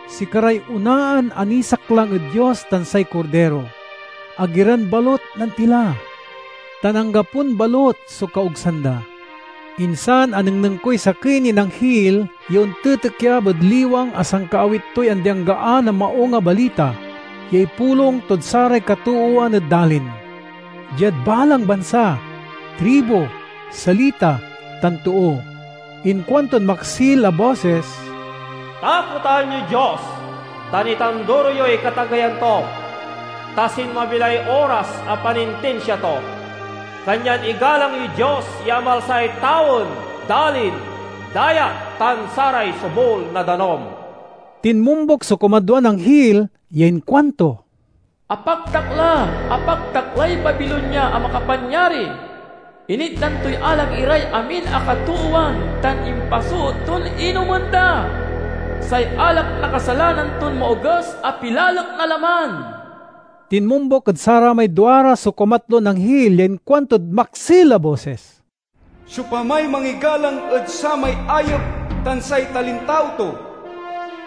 sikaray onaan a nisaklang ed Dios tan say Kordiro. Ag iran balut nantila, tan anggapon balut so kaogsan da. Insan anengneng koy sakey nin anghil ya ontetekyab ed liwang a sankaawit toy andi-anggaan a Maung a Balita ya ipulong tod saray katoowan ed dalin, diad balang bansa, tribu, salita, tan too. Inkuantod maksil a bosis, "Takotan yoy Dios, tan itanduro yoy katageyan to, ta sinmabi lay oras a panintinsia to. Kanyan igalang yoy Dios ya amalsay tawen, dalin, dayat, tan saray sobul na danum." Tinmombuk so kumadwan anghil ya inkuanto, "Apaktak la! Apaktak lay Babilonia a makapanyari! Initdan toy alak iray amin a katoowan tan impasoot ton inomen da! Say alak na kasalanan ton maoges a pilalek na laman!" Tinmombuk ed saramay duara so kumatlon anghil ya inkuantod maksil a bosis, "Siopamay mangigalang ed samay ayep tan say talintao to,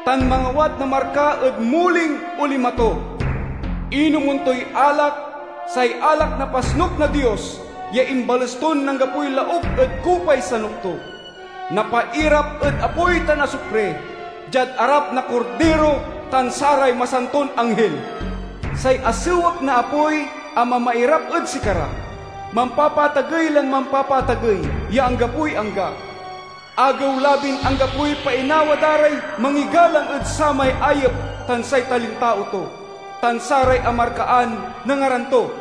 tan mangawat na marka ed muling olima to, inomen toy alak, say alak na pasnuk na Dios ya imbales ton nanggapoy lauk ed kupay sanok to, napairap ed apoy tan asupre, diad arap na Kordiro tan saray masanton anghil. Say asewek na apoy a mamairap ed sikara, mampapatagey lan mampapatagey ya anggapoy angga. Agew-labin anggapoy painawa da ray mangigalang ed samay ayep tan say talintao to, tan saray amarkaan na ngaran to."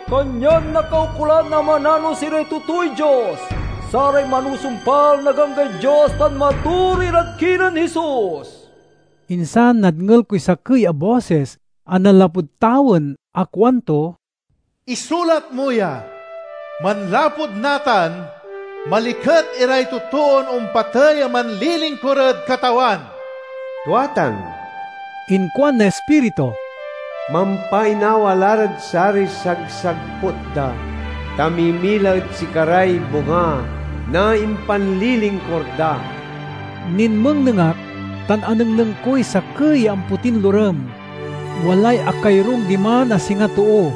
Kanyan nakaukolan a mananos iray totooy Dios, saray manusumpal na Ganggay Dios tan matori rad kinen Jesus. Insan nadngel koy sakey a bosis a nanlapud tawen a kuanto, "Isulat mo ya! Manlapud natan, maliket iray totoon ompatey a manlilingkur ed Katawan!" "Tua tan," inkuan na Ispiritu, "mampainawa la rad saray sagsagput da, ta mimila ed sikaray bunga na impanlilingkur da." Ninmengneng ak, tan anengneng koy sakey ya ampotin lorem. Walay akayorung diman a singa too,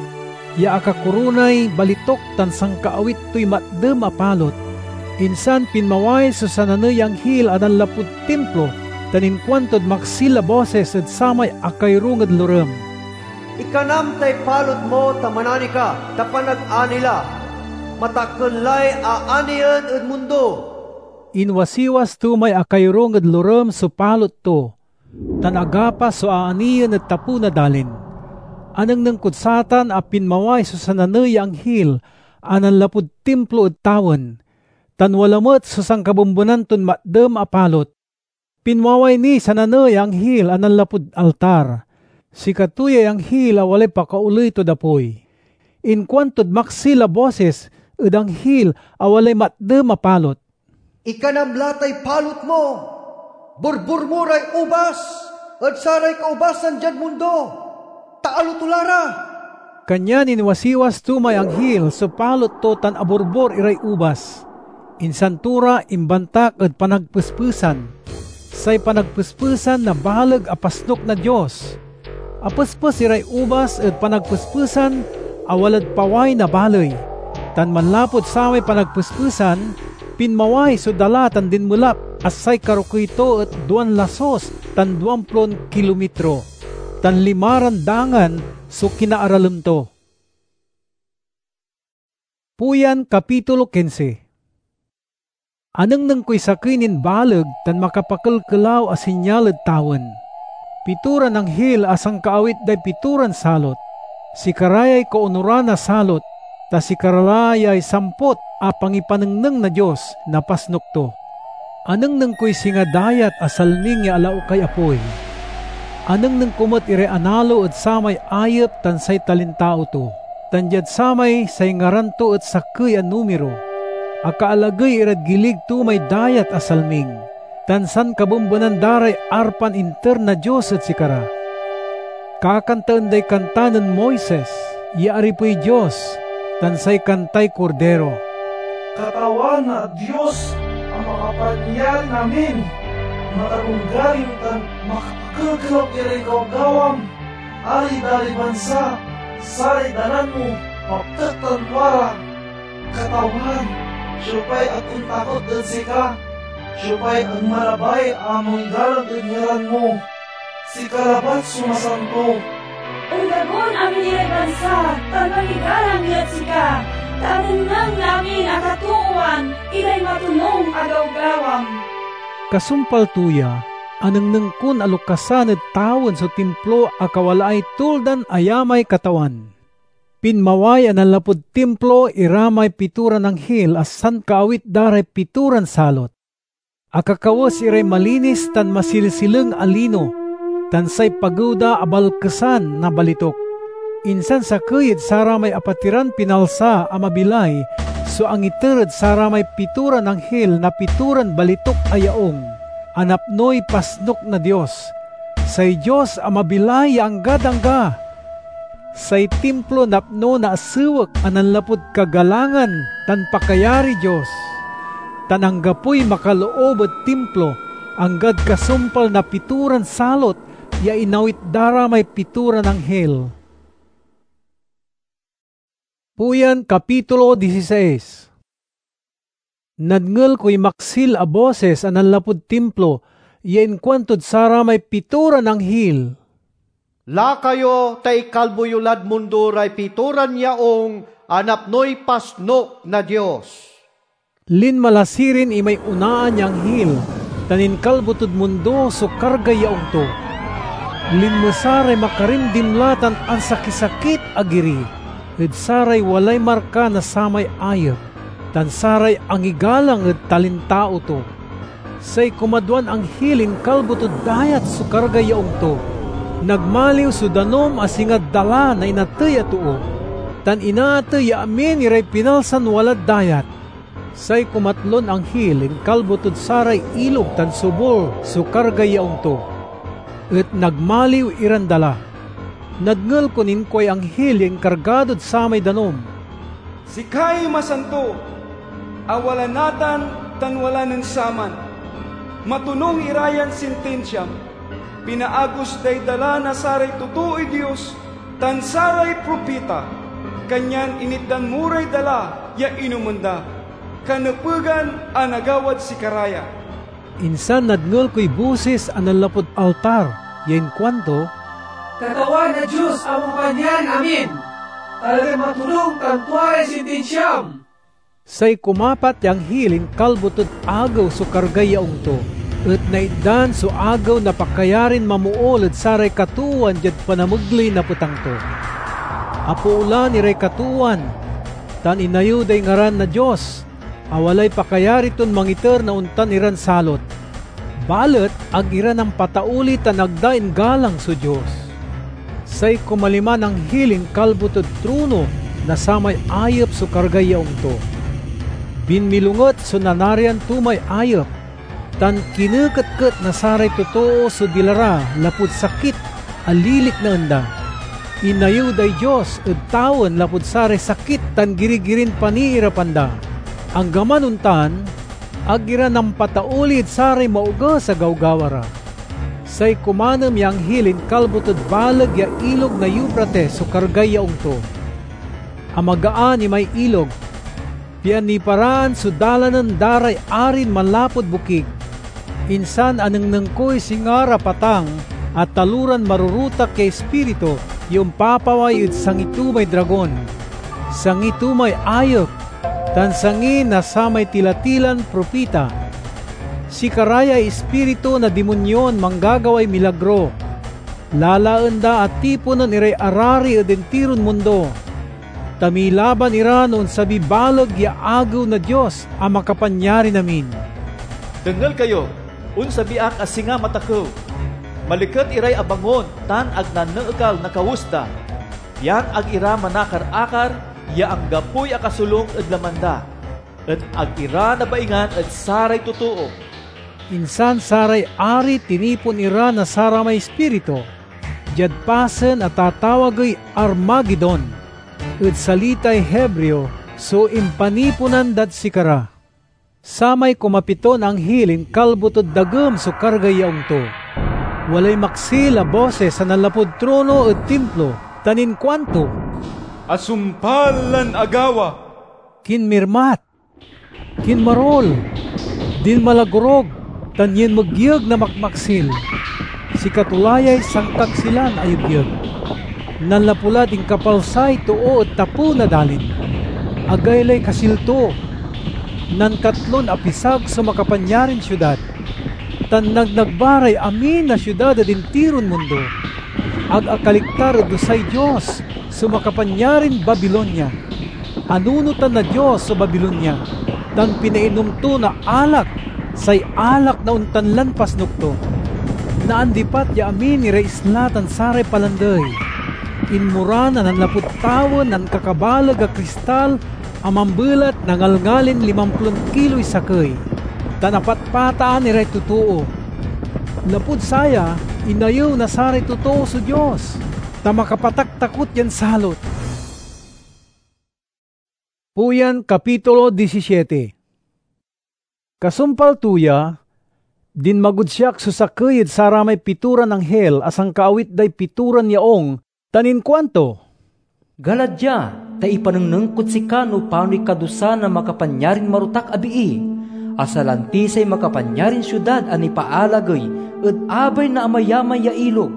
ya akakoronay balituk tan sankaawit toy matdem a palot. Insan pinmaway so sananey ya anghil a nanlapud Timplo tan inkuantod maksil a bosis ed samay akayorung ed lorem, "Ikanam tay palot mo ta manani ka, ta panagani la. Matakken lay aanien ed mundo." Inwasiwas to may akayorung ed lorem so palot to, tan agapas so aanien ed tapew na dalin. Anengneng kod satan a pinmaway so sananey ya anghil a nanlapud Timplo ed tawen, tan wala met so sankabembenan ton matdem a palot. Pinmaway niy sananey ya anghil a nanlapud altar. Sikato yay anghil a walay pakaoley tod apoy. Inkuantod maksil a bosis ed anghil a walay matdem a palot, "Ikanam la tay palot mo, borbor mo ray ubas ed saray kaubasan diad mundo, ta aloto la ra." Kanyan inwasiwas to may anghil so palot to tan aborbor iray ubas. Insan to ra imbantak ed panagpespesan. say panagpespesan na baleg a pasnok na Dios. Apespes iray ubas ed panagpespesan a walad paway na baley, tan manlapud samay panagpespesan, pinmaway so dala tan dinmelap a say karokey to et duan lasus tan duamplon kilomitro, tan limaran dangan so kinaaralem to. Puyan, kapitulo kinse. Anengneng koy sakey nin baleg tan makapakelkelaw a sinyal ed tawen. Pitoran anghil a sankaawit day pitoran salot. Sikara yay kaonuran na salot, ta sikara la yay sampot a pangipanengneng na Dios na pasnok to. Anengneng koy singa dayat a salming ya alaukay apoy. Anengneng ko met iray analo ed samay ayep tan say talintao to, tan diad samay say ngaran to et sakey a numiro. Akaalagey irad gilig to may dayat a salming, tan sankabembenan da ray arpan inter na Dios ed sikara. Kakantaen day kanta nen Moises ya aripey Dios, tan say kantay Kordiro. Katawan a Dios a Makapanyarin-amin, makalonggaring tan makapakelkelaw iray gawgawam. Alidaliban sa saray dalan mo, maptek tan tua ra. Katawan, siopay ag ontakot ed sika? Siopay ag malabay a mangigalang ed ngaran mo? Sika labat so masanto. Ondagon amin iray bansa tan mangigalang diad sika, ta anengneng na amin a katoowan iray matonung a gawgawam. Kasumpal to ya, anengneng kon alokasan ed tawen so Timplo a kawalaay tuldan ayamay Katawan. Pinmaway a nanlapud Timplo ira may pitoran anghil a sankaawit da ray pitoran salot. Akakawes iray malinis tan masilsileng a lino, tan say pagew da abalkesan na balitok. Insan sakey ed saramay apatiran pinalsa a mabilay so angiter ed saramay pitoran anghil na pitoran balitok a yaung a napnoy pasnok na Dios, say Dios a mabilay ya anggad angga. Say Timplo napno na asewek a nanlapud kagalangan tan pakayariy Dios, tan anggapoy makaloob ed Timplo anggad kasumpal na pitoran salot ya inawit da ra may pitoran anghil. Puyan, kapitulo dieciséis. Nadngel koy maksil a bosis a nanlapud Timplo ya inkuantod saramay pitoran anghil, "Laka yo ta ikalbo yo lad mundo ray pitoran yaung a napnoy pasnok na Dios." Linma la sirin imay onaan ya anghil tan inkalbo tod mundo so kargay yaung to. Linmesa ray makarimdimla tan ansakisakit a giri ed saray walay marka na samay ayep, tan saray angigalang ed talintao to. Say kumadwan anghil inkalbo tod dayat so kargay yaung to. Nagmaliw so danum a singa dala na inatey a too, tan inaatey ya amin iray pinalsan walad dayat. Say kumatlon anghil inkalbo tod saray ilog tan subol so kargay yaung to, et nagmaliw iran dala. Nadngel kon inkuay anghil ya inkargadod samay danum, "Sikay masanto, a wala natan tan wala nen saman. Matonung ira yan sintinsiam. Pinaagos day dala na saray totooy Dios tan saray propita, kanyan initdan mo ray dala ya inomen da. Kanepegan a nagawad sikara ya." Insan nadngel koy bosis a nanlapud altar ya inkuanto, "Katawan a Dios a Mapanyarin-amin, talagan matonung tan tua ray sintinsiam!" Say kumapat ya anghil inkalbo tod agew so kargay yaung to, et naitdan so agew na pakayarin mamool ed saray katoowan diad panamegley na petang to. Apoolan iray katoowan, tan inayew day ngaran na Dios, a walay pakayari ton mangiter na ontan iran salot. Balet ag ira nampatauli tan ag da inggalang so Dios. Say kumaliman anghil inkalbo tod trono na samay ayep so kargay yaung to. Binmilonget so nanarian to may ayep, tan kineketket na saray totoo so dila ra lapud sakit a liliknaen da. Inayew day Dios ed tawen lapud saray sakit tan girigirin paniirapan da. Anggaman ontan, Ag ira nampatauli ed saray maoges a gawgawa ra. Say kumanem ya anghil inkalbo tod baleg ya Ilog na Eufrates so kargay yaung to. Amagaan imay ilog, pian niparaan so dalanen da ray arin manlapud bokig. Insan anengneng koy singa ra patang a taloran marurutak ya ispiritu ya ompapaway ed sangi to may dragon, sangi to may ayep, tan sangi na samay tila-tilan propita. Sikara yay ispiritu na dimonyon manggagaway milagro. Lalaen da a tiponen iray arari ed intiron mundo, ta milaban ira no onsabiy baleg ya agew na Dios a Makapanyarin-amin. Dengel kayo, onsabi ak a singa matakew. Maliket iray abangon tan ag naneekal na kawes da, pian ag ira manakar-akar ya anggapoy akasolung ed laman da, et ag ira nabaingan ed saray totoo. Insan saray ari tinipon ira na saramay ispiritu, diad pasen a tatawagey Armagedon. Ed salitay Hebreo so impaniponan dad sikara. Samay kumapiton anghil inkalbo tod dagem so kargay yaung to. Walay maksil a bosis a nanlapud trono ed timplo, tan inkuanto, "Asumpal lan agawa! Kinmirmat, kinmarol, dinmalagorog, tan yinmegyeg na makmaksil. Sikato la yay sankaksilan a yegyeg. Nanlapu lad inkapalsay too ed tapew na dalin. Agaylay kasil to. Nankatlon apisag so makapanyarin siudad, tan nagnagba ray amin a siudad ed intiron mundo. Ag akaliktar ed dusay Dios so makapanyarin Babilonia. Anunotan na Dios so Babilonia, tan pinainom to na alak, say alak na ontan lan pasnok to. Naandipat ya amin iray isla tan saray palandey. Inmoran a nanlapud tawen na ankakabaleg a kristal a mambelat na ngalngalin limamplon kiloy sakey, tan apatpataan iray totoo. Lapud saya, inayew na saray totoo so Dios, ta makapataktakot yan salot." Puyan, kapitulo disisiete. Kasumpal to ya, dinmagod siak so sakey ed saramay pitoran anghil a sankaawit day pitoran yaung, tan inkuanto, "Gala dia, ta ipanengneng kod sika no panoy kadusa na Makapanyarin Marotak a Bii, a salanti say makapanyarin siudad a nipaalagey ed abay na amayamay ya ilog.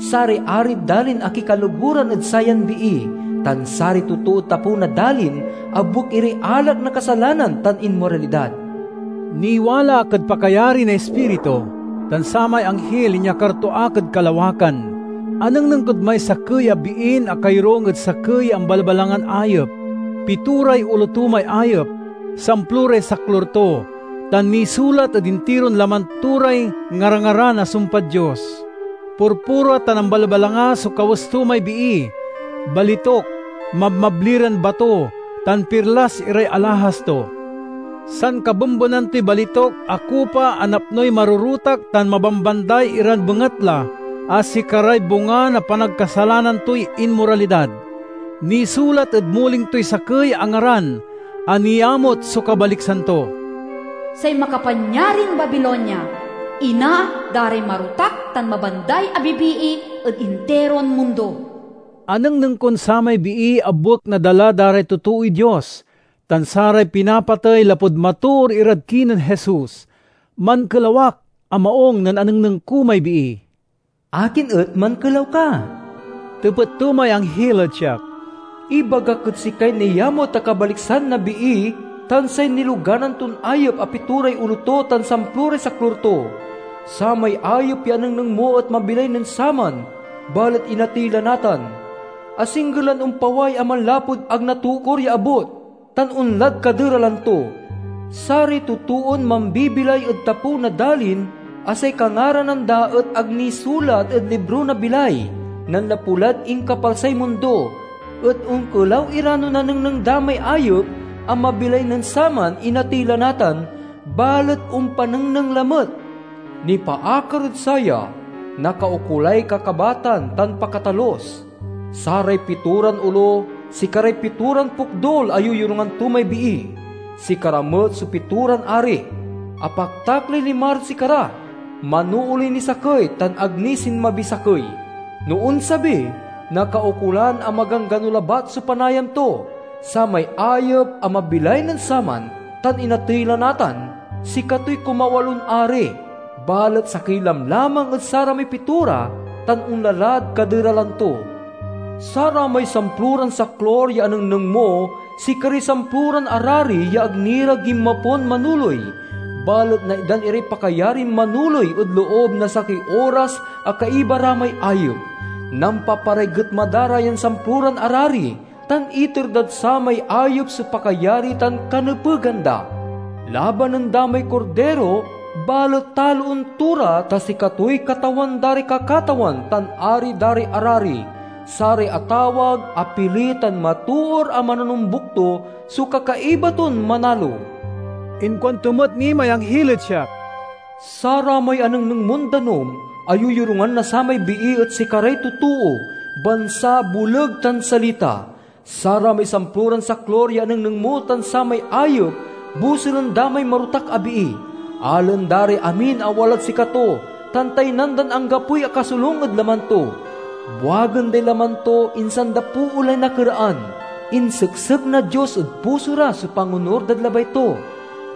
Saray arid dalin akikaloguran ed sayan bii, tan saray totood tapew na dalin abuek iray alak na kasalanan tan inmoralidad." Niwala ak ed pakayari na Ispiritu, tan samay anghil inyakar to ak ed kalawakan. Anengneng kod may sakey a biin akayorung ed sakey ya ambalbalangan ayep. Pitoray olo to may ayep, samploray saklur to, tan nisulat ed intiron laman to ray ngarangaran a sumpad Dios. Purpura tan ambalbalanga so kawes to may bii, balitok, mabmabli ran bato, tan pirlas iray alahas to. Sankabenbenan toy balitok a kopa a napnoy marurutak tan mabambanday iran bengatla, a sikaray bunga na panagkasalanan toy inmoralidad. Nisulat ed muling toy sakey a ngaran a niamut so kabaliksan to. Say makapanyarin Babilonia, ina da ray marotak tan mabanday a bibii ed interon mundo. Anengneng kon samay bii a buek nadala da ray totooy Dios, tan saray pinapatey lapud matoor irad kinen Jesus. Mankelaw ak a maung nen anengneng ko may bii. "Akin et mankelaw ka?" tepet to may anghil ed siak. "Ibagak ed sikay niamut a kabaliksan na bii tan say niloganan ton ayep a pitoray olo to tan samploray saklur to. Samay ayep ya anengneng mo et mabilay nen saman, balet inatey la natan. Asingger lan ompaway a manlapud ag natukor ya abut, tan onlad kaderalan to. Saray totoon mambibilay ed tapew na dalin a say kangaranan da et ag nisulat ed libro na bilay, nanlapu lad inkapalsay mundo, et onkelaw ira no nanengneng da may ayep a mabilay nen saman inatey la natan, balet ompanengneng lamet. Nipaakar ed saya, nakaukolay kakabatan tan pakatalus. Saray pitoran olo, sikaray pitoran pokdul a yoyorungan to may bii. Sikara met so pitoran ari. Apaktak lay limad sikara, manooley ni sakey tan ag ni sinmabi sakey. No onsabi, nakaukolan a maganggano labat so panayam to, samay ayep a mabilay nen saman, tan inatey la natan, sikatoy kumawalon ari, balet sakey lamlamang ed saramay pitora tan onlalad kaderalan to. Saramay samploran saklor ya anengneng mo, sikaray samploran arari ya ag ni ra ginmapon manoley, balet naitdan iray pakayarin manoley ed loob na sakey oras a kaiba ra may ayep. Nampaparay getma da ra yan samploran arari, tan iter dad samay ayep so pakayari tan kanepegan da. Labanen da may Kordiro, balet taloen to ra, ta sikatoy Katawan da ray kakatawan tan Ari da ray arari. Saray atawag, apili, tan matoor a manonombuk to so kakaiba ton manalo. Inkuanto met ni may anghil ed siak, "Saramay anengneng mon danum a yoyorungan na samay bii et sikaray totoo, bansa, boleg, tan salita. Saramay samploran saklor ya anengneng mo tan samay ayep, buselen da may marotak a bii. Alen da ray amin a walad sikato, tan taynan dan anggapoy akasolung ed laman to. Buagen day laman to, insan da poolay nakeraan. Inseksek na Dios ed puso ra so pangonur dad labay to.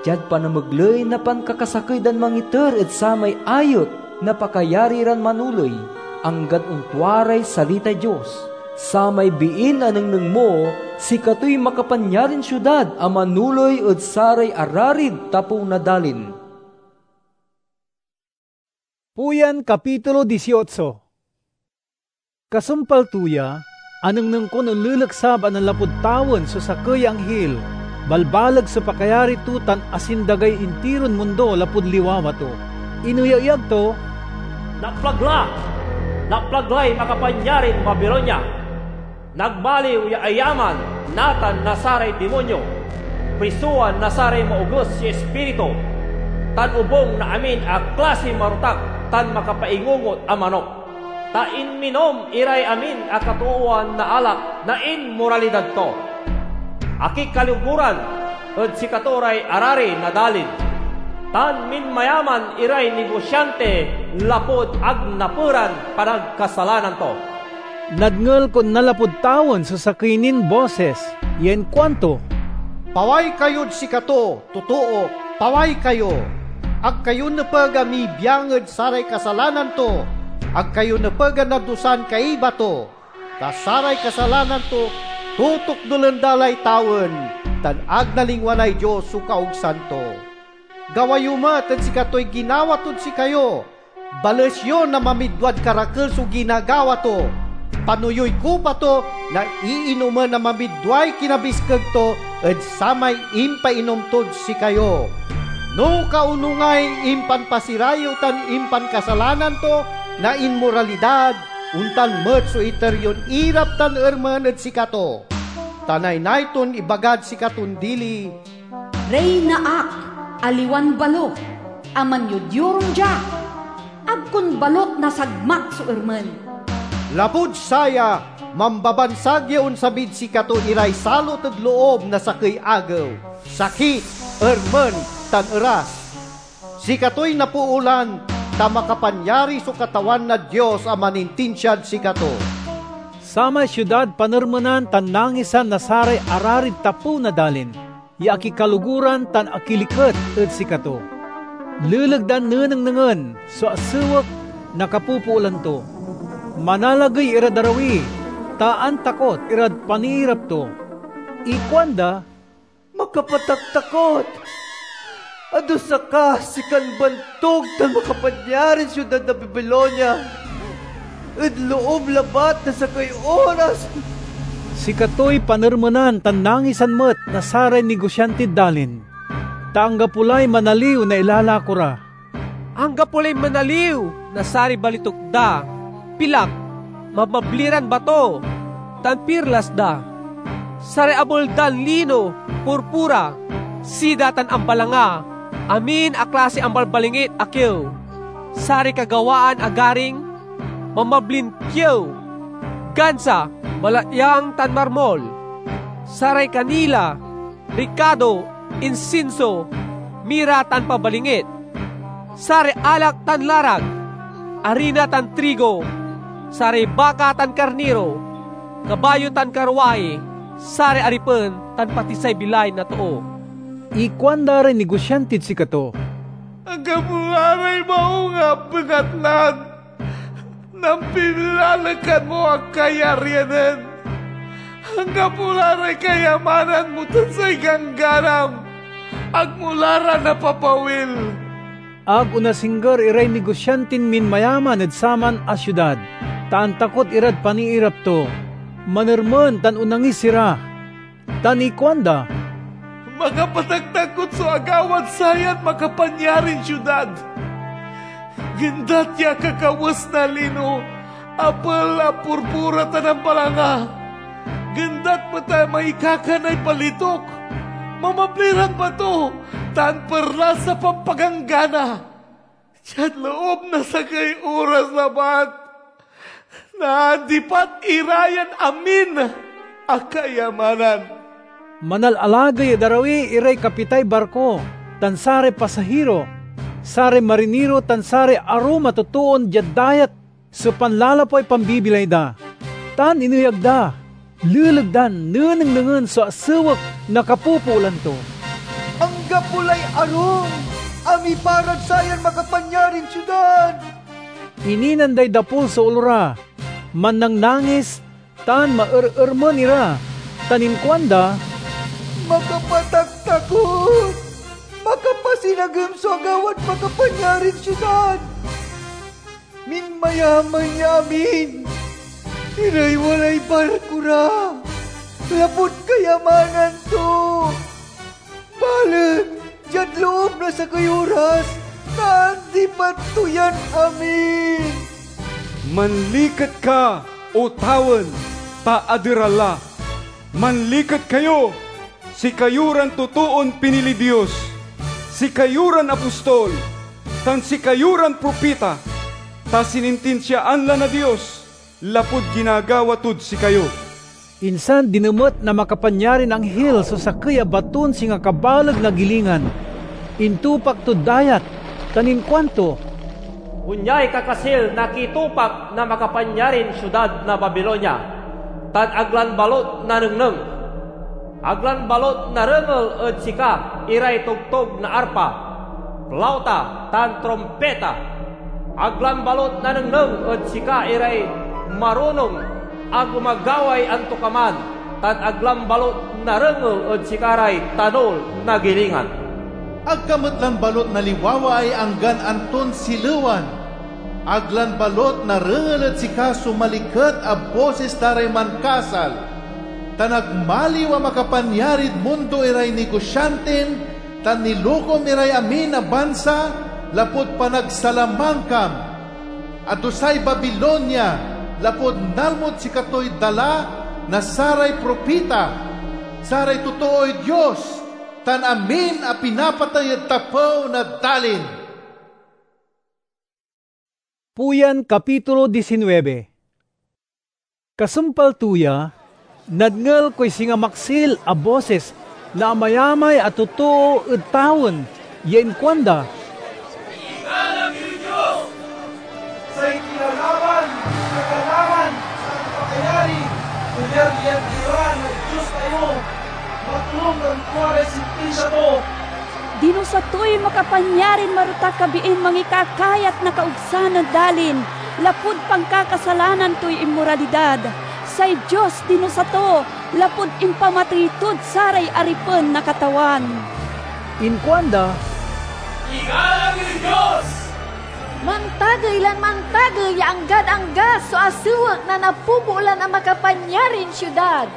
Diad panamegley na pankakasakey dan mangiter ed samay ayep na pakayari ran manoley, anggad ontua ray salitay Dios. Samay biin anengneng mo, sikatoy makapanyarin siudad a manoley ed saray ararid tapew na dalin." Puyan, kapitulo dieciocho. Kasumpal to ya, anengneng kon onleleksab a nanlapud tawen so sakey ya anghil. Balbaleg so pakayari to tan asindagay intiron mundo lapud liwawa to. Ineyayag to, "Naplag la! Naplag lay makapanyarin Babilonia! Nagbaliw ya ayaman natan na saray dimonyo, prisowan na saray maoges ya ispiritu, tan obung na amin a klasiy marotak tan makapaingungot a manok. Ta inminom iray amin a katoowan na alak na inmoralidad to. Akikaloguran ed sikato ray arari na dalin, tan minmayaman iray nigosiante lapud ag naperan panagkasalanan to." Nadngel kon nanlapud tawen so sakey nin bosis ya inkuanto, "Paway kayod sikato, totoo, paway kayo! Ag kayo nepeg a mibiang ed saray kasalanan to. Ag kayo nepeg a nadusan kaiba to, ta saray kasalanan to totukdolen da lay tawen, tan ag nalingwanay Dios so kaogsan to. Gawa yo met ed sikatoy ginawa tod sikayo. Bales yo na mamidwad karakel so ginagawa to. Panoyuy kopa to na iinomen na mamidway kinabiskeg to ed samay impainom tod sikayo. No kaonungay impanpasirayew tan impankasalanan to na inmoralidad, ontan met so iter yon irap tan ermen ed sikato. Ta naynay ton ibagad sikaton dili, 'Reyna ak, aliwan balot, a manyodyorung dia. Ag kon balot nasagmak so ermen.' Lapud saya, mambabansag ya onsabid sikato iray salot ed loob na sakey agew, sakit, ermen, tan eras. Sikatoy napoolan, ta makapanyari so Katawan na Dios a manintinsiad sikato." Samay siudad panermenan tan nangisan na saray ararid tapew na dalin ya akikaloguran tan akiliket ed sikato. Leleg dan nenengnengen so asewek na kapopoolan to. Manalagey irad arawi, ta antakot irad paniirap to. Ikuanda, "Makapataktakot! Adusa ka, sikan bantog tan makapanyarin siudad na Babilonia! Ed loob labat na sakey oras!" Sikatoy panermenan tan nangisan met na saray nigosiantid dalin, ta anggapo lay manaliw na ilalako ra. Anggapo lay manaliw na saray balituk da, pilak, mabmabli ran bato, tan pirlas da. Saray abel dan lino, purpura, sida tan ambalanga, amin a klasiy ambalbalingit a kiew. Saray kagawaan a garing, mamablin kiew, gansa, balatyang tan marmol. Saray kanila, rikado, insinso, mira tan pabalingit, saray alak tan larag, arina tan trigo, saray baka tan karniro, kabayo tan karwahi, saray aripen tan pati say bilay na too. Ikuanda ray nigosiantid sikato, "Anggapo la ray maung a bengatlan nampilalekan mo a kayaryanen. Anggapo la ray kayamanan mo tan say gangganam. Ag mo la ra napapawil." Ag onasingger iray nigosiantin minmayaman ed saman a siudad, ta antakot irad paniirap to. Manermen tan onangis ira, tan ikuanda, "Makapataktakot so agawad sayan makapanyarin siudad! Gendat ya kakawes na lino, apel a purpura tan ampalanga. Gendat met a maikakanay palitok, mamabli ran bato, tan perlas a pampaganggana. Diad loob na sakey oras labat, naandipat ira yan amin a kayamanan." Manalalagey ed arawi iray kapitay barko tan saray pasahiro, saray mariniro tan saray arum a totoon diad dayat so panlalapuay pambibilay da, tan ineyag da. Leleg dan nenengnengen so asewek na kapopoolan to. "Anggapo lay arum a miparad sayan makapanyarin siudad!" Ininan day dapol so olo ra, mannangnangis, tan maerermen ira, tan inkuanda, "Makapataktakot, makapasinagem so agawad makapanyarin siudad! Minmayaman ya amin iray walay barko ra, lapud kayamanan to. Balet diad loob na sakey oras, naandipat to yan amin." "Manliket ka, O tawen, ta aderal la. Manliket kayo, sikayo ran totoon pinili Dios, sikayo ran apostol, tan sikayo ran propita, ta sinintinsiaan la na Dios lapud ginagawa tod sikayo." Insan dinemet na makapanyarin anghil so sakey a baton singa kabaleg na gilingan. Intupak tod dayat, tan inkuanto, "Onyay kakasil na kitupak na makapanyarin siudad na Babilonia, tan ag lan balut nanengneng. Ag lan balut narengel ed sika iray togtog na arpa, plauta, tan trumpita. Ag lan balut nanengneng ed sika iray marunong a gumagaway antokaman, tan ag lan balut narengel ed sikaray tanol na gilingan. Ag ka met lan balut naliwawaay anggan anton silewan. Ag lan balut narengel ed sika so maliket a bosis da ray mankasal, tan ag maliw a makapanyarid mundo iray nigosiantim tan nilokom iray amin a bansa lapud panagsalamangkam. Adusay Babilonia, lapud nalmod sikatoy dala na saray propita, saray totooy Dios, tan amin a pinapatey ed tapew na dalin." Puyan, kapitulo diecinuebe. Kasumpal to ya, nadngel koy singa maksil a bosis na amayamay a totoo ed tawen ya inkuanda, "Igalang yoy Dios! Say kinalaban, kagalawan, tan pakayari, piniar yan ira na Dios tayo! Matlong tan tua ray sintinsia to!" Dinusa toy makapanyarin marotak a biin mangikakayat na kaogsan ed dalin lapud pankakasalanan toy inmoralidad. Say Dios dinusa to lapud impamatey tod saray aripen na Katawan. Inkuanda, "Igalang yoy Dios! Mantagey lan mantagey ya anggad angga so asewek na napopoolan a makapanyarin siudad!"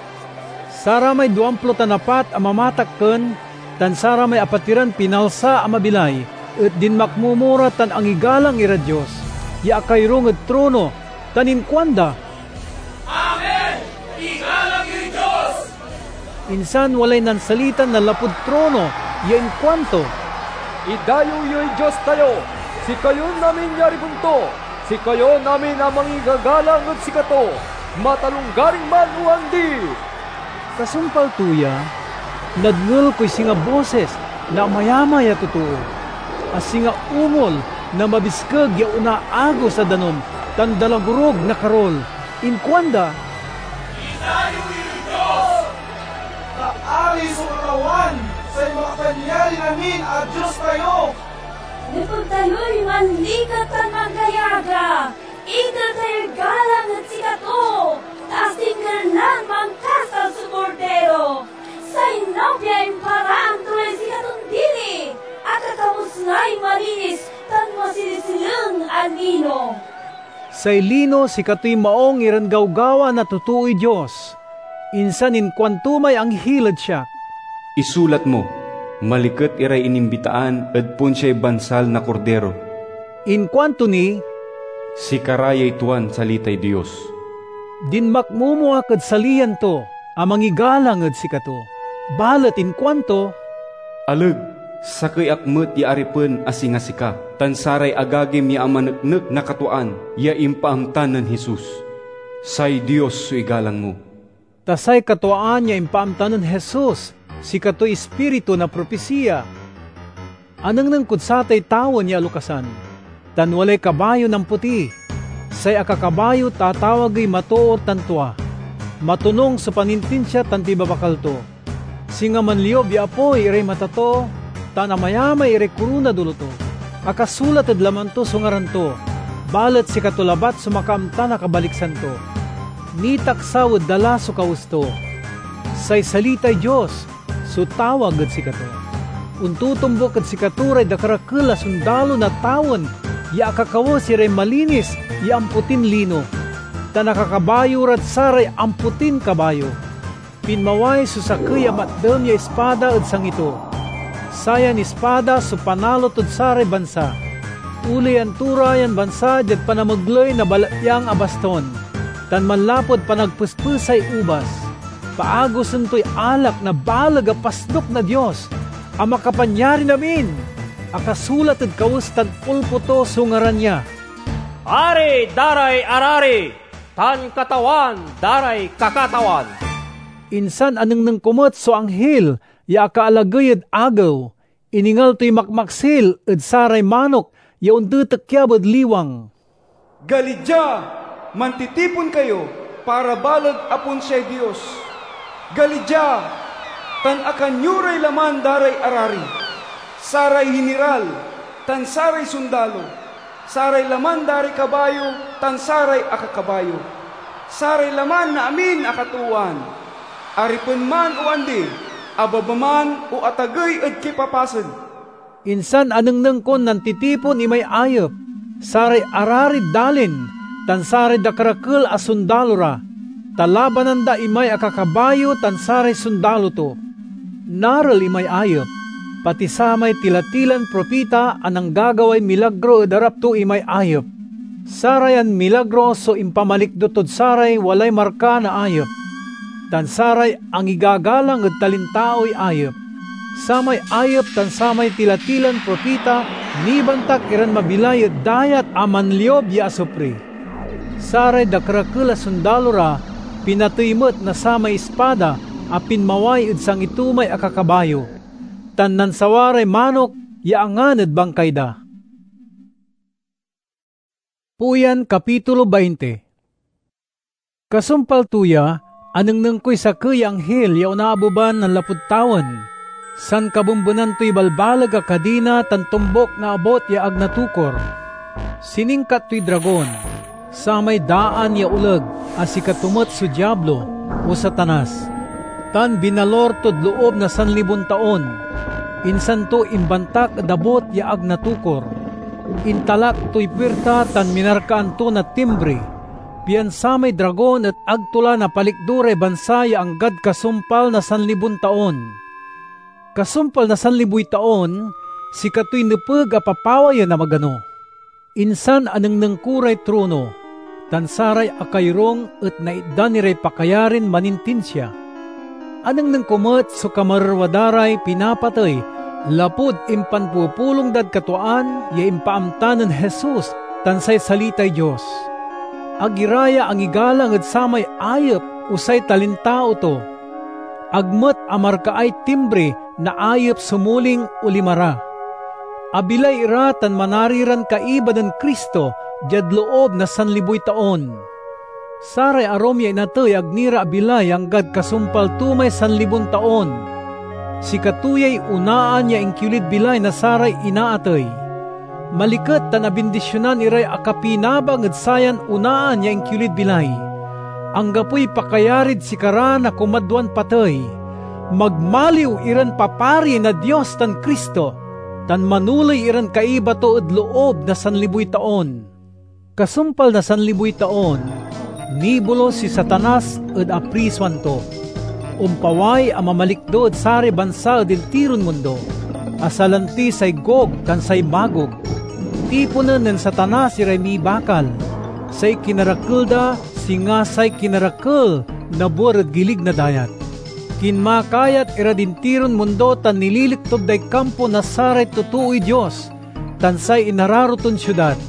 Saramay duamplo tan apat a mamatakken tan saramay apatiran pinalsa a mabilay et dinmakmomo ra tan angigalang irad Dios ya akairong ed trono, tan inkuanda, "Amen! Igalang yoy Dios!" Insan walay nansalitan nanlapud trono ya inkuanto, "Idayew yoy Dios tayo, sikayon amin ya aripen to, sikayon amin a mangigagalang ed sikato, matalonggaring man o andi!" Kasumpal to ya, nadngel koy singa bosis na amayamay a totoo, a singa ungol na mabiskeg ya onaagos a danum tan dalagorog na karul. Inkuanda, "Itdan yo ey ed Dios, ta ari so Katawan, say Makapanyarin-amin a Dios tayo!" Nepeg tayoy manliket tan manggayaga. Iter tayoy galang ed sikato, ta asingger lan mankasal so Kordiro. Say nobia imparaan to lay sikaton dili, akakawes lay malinis tan masileseleng a lino. Say lino, sikatoy maong iran gawgawa na totooy Dios. Insan inkuanto may anghil ed siak, "Isulat mo, 'Maliket iray inimbitaan ed ponsiay bansal na Kordiro.'" Inkuanto ni, "Sikara yay tuan salitay Dios." Dinmakmomo ak ed saliyan to a mangigalang ed sikato, balet inkuanto, "Aleg, sakey ak met ya aripen a singa sika, tan saray agagim ya amaneknek na katuaan ya impaamta nen Jesus. Say Dios so igalang mo." Ta say katuaan ya impaamta nen Jesus, sikatoy ispiritu na propisiya. Anengneng kod satay tawen ya alokasan, tan walay kabayo nampoti. Say akakabayo tatawagey Matoor tan Tua. Matonung so panintinsia tan pibabakal to. Singa manliob ya apoy iray mata to, tan amayamay iray korona dolo to. Akasulat ed laman to so ngaran to, balet sikato labat so makaamta na kabaliksan to. Nitaksaw ed dala so kawes to. Say salitay Dios so tawag ed sikato. Ontotombuk ed sikato ray dakerakel a sondalo na tawen ya akakawes iray malinis ya ampotin lino, tan akakabayo rad saray ampotin kabayo. Pinmaway so sakey a matdem ya ispada ed sangi to. Sayan ispada so panalo tod saray bansa. Uleyan to ra yan bansa diad panamegley na balatyang a baston, tan manlapud panagpespesay ubas. Paagosen toy alak na baleg a pasnuk na Dios a Makapanyarin-amin, a kasulat ed kawes tan ulpo to so ngaran ya. Ari da ray arari, tan Katawan da ray kakatawan. Insan anengneng ko met so anghil ya akaalagey ed agew. Iningal toy makmaksil ed saray manok ya ontetekyab ed liwang. Gali dia, mantitipon kayo para baleg a ponsiay Dios. Gali dia, tan akan yo ray laman da ray arari, saray hiniral, tan saray sondalo, saray laman da ray kabayo, tan saray akakabayo, saray laman na amin a katoowan, aripen man o andi, ababa man o atagey ed kipapasen. Insan anengneng kon nantitipon imay ayep, saray ararid dalin, tan saray dakerakel a sondalo ra, ta labanan da imay akakabayo tan saray sondalo to. Narel imay ayep, pati samay tila-tilan propita a nanggagaway milagro ed arap to imay ayep. Sarayan milagro so impamalikdo tod saray walay marka na ayep, tan saray angigagalang ed talintaoy ayep. Samay ayep tan samay tila-tilan propita nibantak iran mabilay ed dayat a manliob ya asupri. Saray dakerakel a sondalo ra pinatey met na samay ispada a pinmaway ed sangi to may akakabayo, tan nansawa ray manok ya angan ed bangkay da. Puyan, kapitulo bainte. Kasumpal to ya, anengneng koy sakey ya anghil ya onaabeban nanlapud tawen. Sankabenbenan toy balbaleg a kadina tan tombok na abut ya ag natukor. Siningkat toy dragon, samay daan ya oleg a sikato met so Diablo, o Satanas, tan binalur tod loob na sanlibon taon. Insan to imbantak ed abut ya ag natukor. Intalak toy puirta tan minarkaan to na timbri, pian samay dragon et ag to la napalikdo ray bansa ya anggad kasumpal na sanlibon taon. Kasumpal na sanliboy taon, sikatoy nepeg a papawayen a magano. Insan anengneng ko ray trono, tan saray akayorung et naitdan iray pakayarin manintinsia. Anengneng ko met so kamarerwa da ray pinapatey lapud impanpupulong dad katuaan ya impaamta nen Jesus tan say salitay Dios. Ag ira ya angigalang ed samay ayep o say talintao to. Ag met amarkaay timbri naayep so muling olima ra. Abilay ira tan manari ran kaiba nen Cristo diad loob na sanliboy taon. Saray arum ya inatey ag ni ra abilay anggad kasumpal to may sanlibon taon. Sikato yay onaan ya inkiolid bilay na saray inaatey. Maliket tan abindisionan iray akapinabang ed sayan onaan ya inkiolid bilay. Anggapoy pakayarid sikara na kumadwan patey. Magmaliw iran papari na Dios tan Cristo, tan manoley iran kaiba to ed loob na sanliboy taon. Kasumpal na sanliboy taon, nibulos si Satanas ed aprisoan to. Ompaway a mamalikdo ed saray bansa ed intiron mundo, a salanti say Gog tan say Magog. Tiponen nen Satanas iray mibakal. Say kinarakel da, singa say kinarakel na buer ed gilig na dayat. Kinmakayat irad intiron mundo tan nililiktog day kampo na saray totooy Dios tan say inararo ton siudad.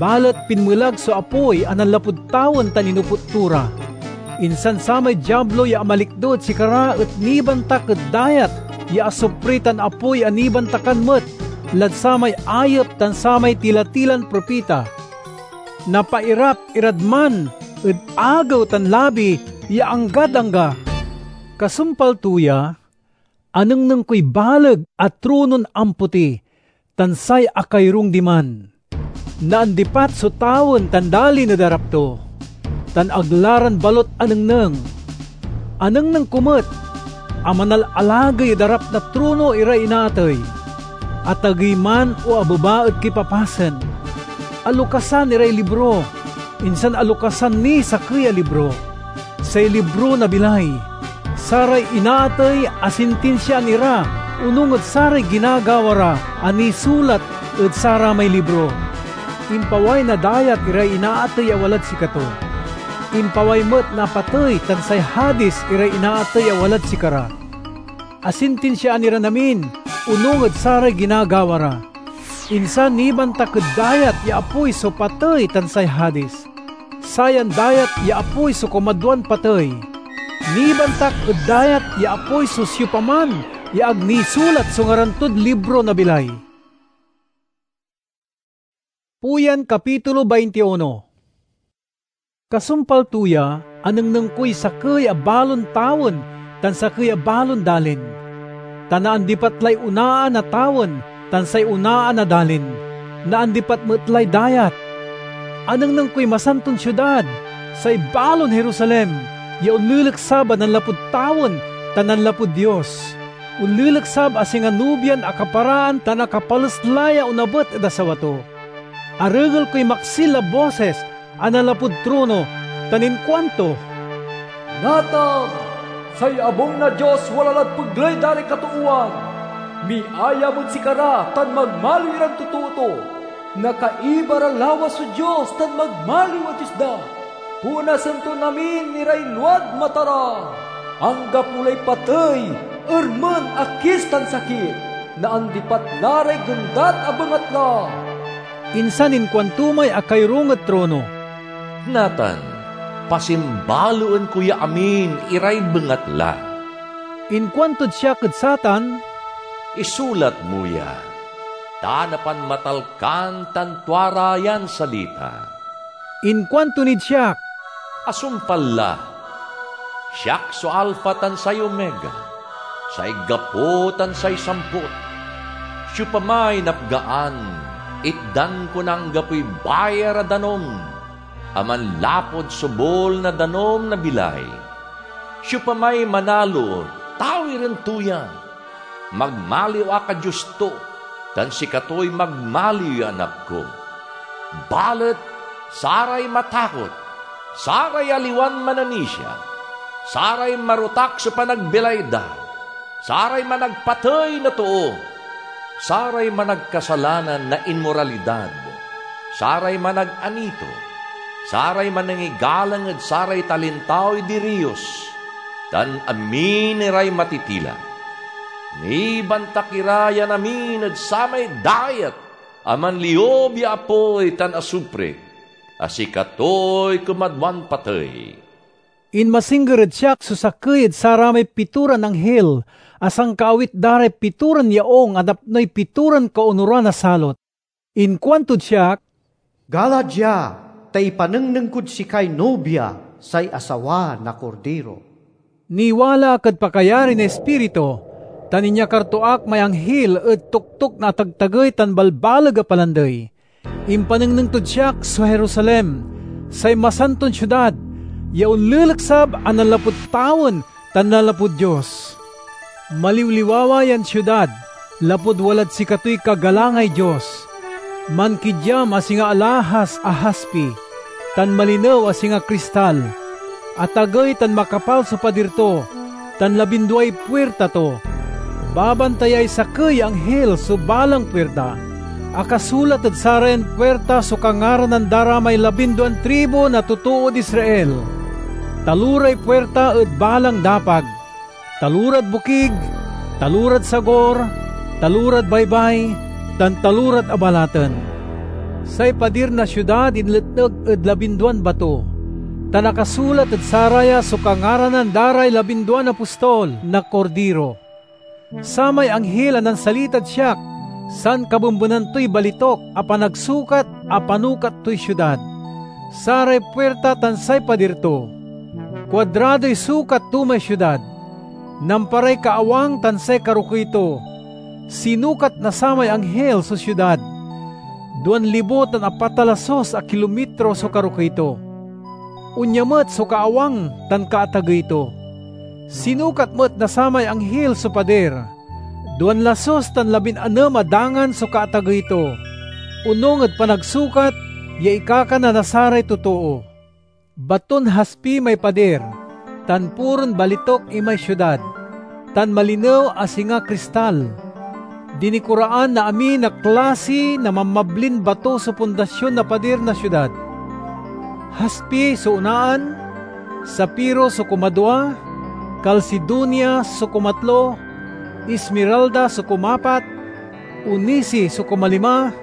Balet pinmelag so apoy a nanlapud tawen tan inoput to ra. Insan samay Diablo ya amalikdo ed sikara et nibantak ed dayat ya asupri tan apoy a nibantakan met lad samay ayep tan samay tila-tilan propita. Napairap irad man ed agew tan labi ya anggad angga. Kasumpal to ya, anengneng koy baleg a tronon ampoti tan say akayorung diman. Naandipat so tawen tan dalin ed arap to, tan ag la ran balot anengneng. Anengneng ko met a manalalagey ed arap na trono iray inaatey. Atagey man o abeba ed kipapasen. Alokasan iray libro, insan alokasan niy sakey a libro, say libro na bilay. Saray inaatey asintinsiaan ira onung ed saray ginagawa ra a nisulat ed saramay libro. Impaway na dayat iray inaatey a walad sikato. Impaway met na patey tan say Hades iray inaatey a walad sikara. Asintinsiaan iran amin onung ed saray ginagawa ra. Insan nibantak ed dayat ya apoy so patey tan say Hades. Sayan dayat ya apoy so kumadwan patey. Nibantak ed dayat ya apoy so siopaman ya ag nisulat so ngaran tod libro na bilay. Puyan, kapitulo veintiuno. Kasumpal to ya, anengneng koy sakey a balon tawen tan sakey a balon dalin. Ta naandipat lay onaan a tawen tan say onaan a dalin. Naandipat met lay dayat. Anengneng koy masanton siudad, say balon Jerusalem, ya onleleksab a nanlapud tawen tan nanlapud Dios. Onleleksab a singa nobian akaparaan tan akapales la ya onabet ed asawa to. Aregel koy maksil a bosis a nanlapud trono tan inkuanto, "Natan, say abung na Dios wala lad pegley da ray katoowan. Miayam ed sikara tan magmaliw iran totoo to. Nakaiba ra lawas so Dios tan magmaliw a Dios da. Punasen ton amin iray luad mata ra. Anggapo lay patey, ermen a kis tan sakit. Naandipat la ray gendat a bengatla." Insan inkuanto may akayorung ed trono, "Natan, pasimbaloen ko ya amin iray bengatla." Inkuantod siak ed satan, "Isulat mo ya, ta napanmatalkan tan tua ra yan salita." Inkuanto nid siak, "Asumpal la! Siak so Alfa tan say Omega, say gapo tan say samput. Siopamay napgaan, itdan ko na anggapoy bayar a danum a manlapud sobul na danum na bilay. Siopamay manalo, tawiren to ya. Magmaliw ak a Dios to, tan sikatoy magmaliw ya anak ko. Balet saray matakot, saray aliwan mananisia, saray marotak so panagbilay da, saray managpatey na too, saray managkasalanan na inmoralidad, saray manag-anito, saray manangigalang ed saray talintaoy diriyos, tan amin iray matitila. Nibantak ira yan amin ed samay dayat a manliob ya apoy tan asupre, a sikatoy kumadwan patey." Inmasingger ed siak so sakey ed saramay pitoran anghil a sankaawit da ray pitoran yaung a napnoy pitoran kaonuran a salot. Inkuantod siak, "Gala dia, ta ipanengneng kod sikay nobia, say asawa na Kordiro." Niwala ak ed pakayari na Ispiritu, tan inyakar to ak may anghil ed toktok na atagtagey tan balbaleg a palandey. Impanengneng tod siak so Jerusalem, say masanton siudad, ya onleleksab a nanlapud tawen tan nanlapud Dios. Maliwliwawa yan siudad, lapud walad sikatoy kagalangay Dios. Mankidyam a singa alahas a haspi, tan malinew a singa kristal. Atagey tan makapal so padir to, tan labinduay puirta to. Babantayay sakey ya anghil so balang puirta. Akasulat ed sarayan puirta so kangaranan da ra may labinduan tribu na totood Israel. Taloray puirta ed balang dapag, talorad bokig, talorad sagor, talorad baybay, tan talorad abalaten. Say padir na siudad inletneg ed labinduan bato, tan akasulat ed saraya so kangaranan da ray labinduan apostol na Kordiro. Samay anghil a nansalitad siak, sankabembenan toy balituk a panagsukat a panukat toy siudad, saray puirta tan say padir to. Kuadradoy sukat to may siudad. Namparay kaawang tan say karokey to. Sinukat na samay anghil so siudad. Duan libo tan apat a lasus a kilomitro so karokey to. Onya met so kaawang tan kaatagey to. Sinukat met na samay anghil so padir. Duan lasus tan labin-anem a dangan so kaatagey to, onung ed panagsukat ya ikakana na saray totoo. Baton haspi may padir, tan puron balituk imay siudad, tan malinew a singa kristal. Dinikoraan na amin a klasi na mamablin bato so pundasion na padir na siudad. Haspi so onaan, sapiro so kumadua, kalsidonia so kumatlo, esmeralda so kumapat, onisi so kumalima,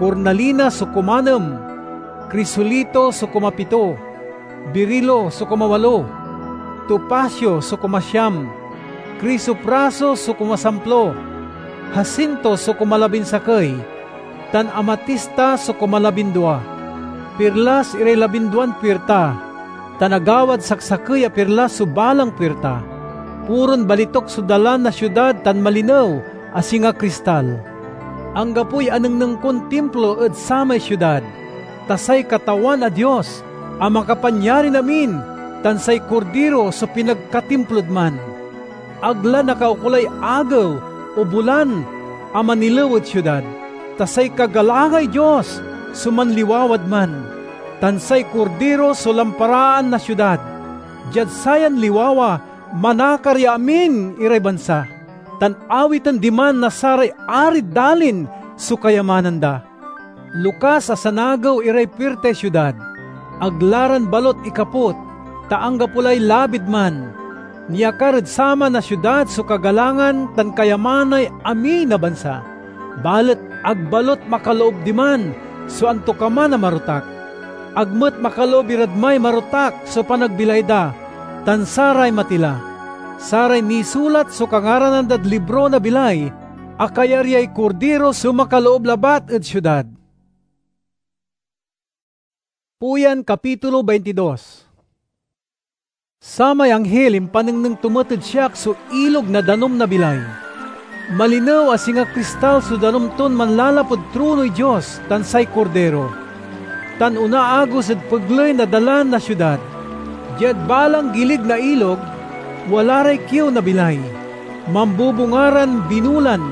kornalina so kumanem, krisolito so kumapito, birilo so kumawalo, topasio so kumasiam, krisopraso so kumasamplo, hasinto so kumalabinsakey, tan amatista so kumalabindua. Pirlas iray labinduan puirta, tan agawad saksakey a pirlas so balang puirta. Puron balituk so dalan na siudad tan malinew a singa kristal. Anggapoy anengneng kon timplo ed samay siudad, ta say Katawan a Dios a Makapanyarin-amin tan say Kordiro so pinagkatimplod man. Ag la nakaukolay agew o bulan a manilew ed siudad, ta say kagalangay Dios so manliwawad man, tan say Kordiro so lamparaan na siudad. Diad sayan liwawa, manakar ya amin iray bansa, tan awiten diman na saray arid dalin so kayamanan da. Lokas a sanagew iray puirtay siudad. Ag la ran balot ikaput, ta anggapo lay labid man. Niakar ed saman a siudad so kagalangan tan kayamanay amin a bansa. Balet ag balot makaloob diman so antokaman a marotak. Ag met makaloob irad may marotak so panagbilay da, tan saray matila. Saray nisulat so kangaranan dad libro na bilay, a kayaryay Kordiro so makaloob labat ed siudad. Puyan, kapitulo baintidos. Samay anghil impanengneng to met ed siak so ilog na danum na bilay. Malinew a singa kristal so danum ton manlalapud tronoy Dios tan say Kordiro, tan onaagos ed pegley na dalan na siudad. Diad balang gilig na ilog, wala ray kiew na bilay. Mambubunga ran binulan,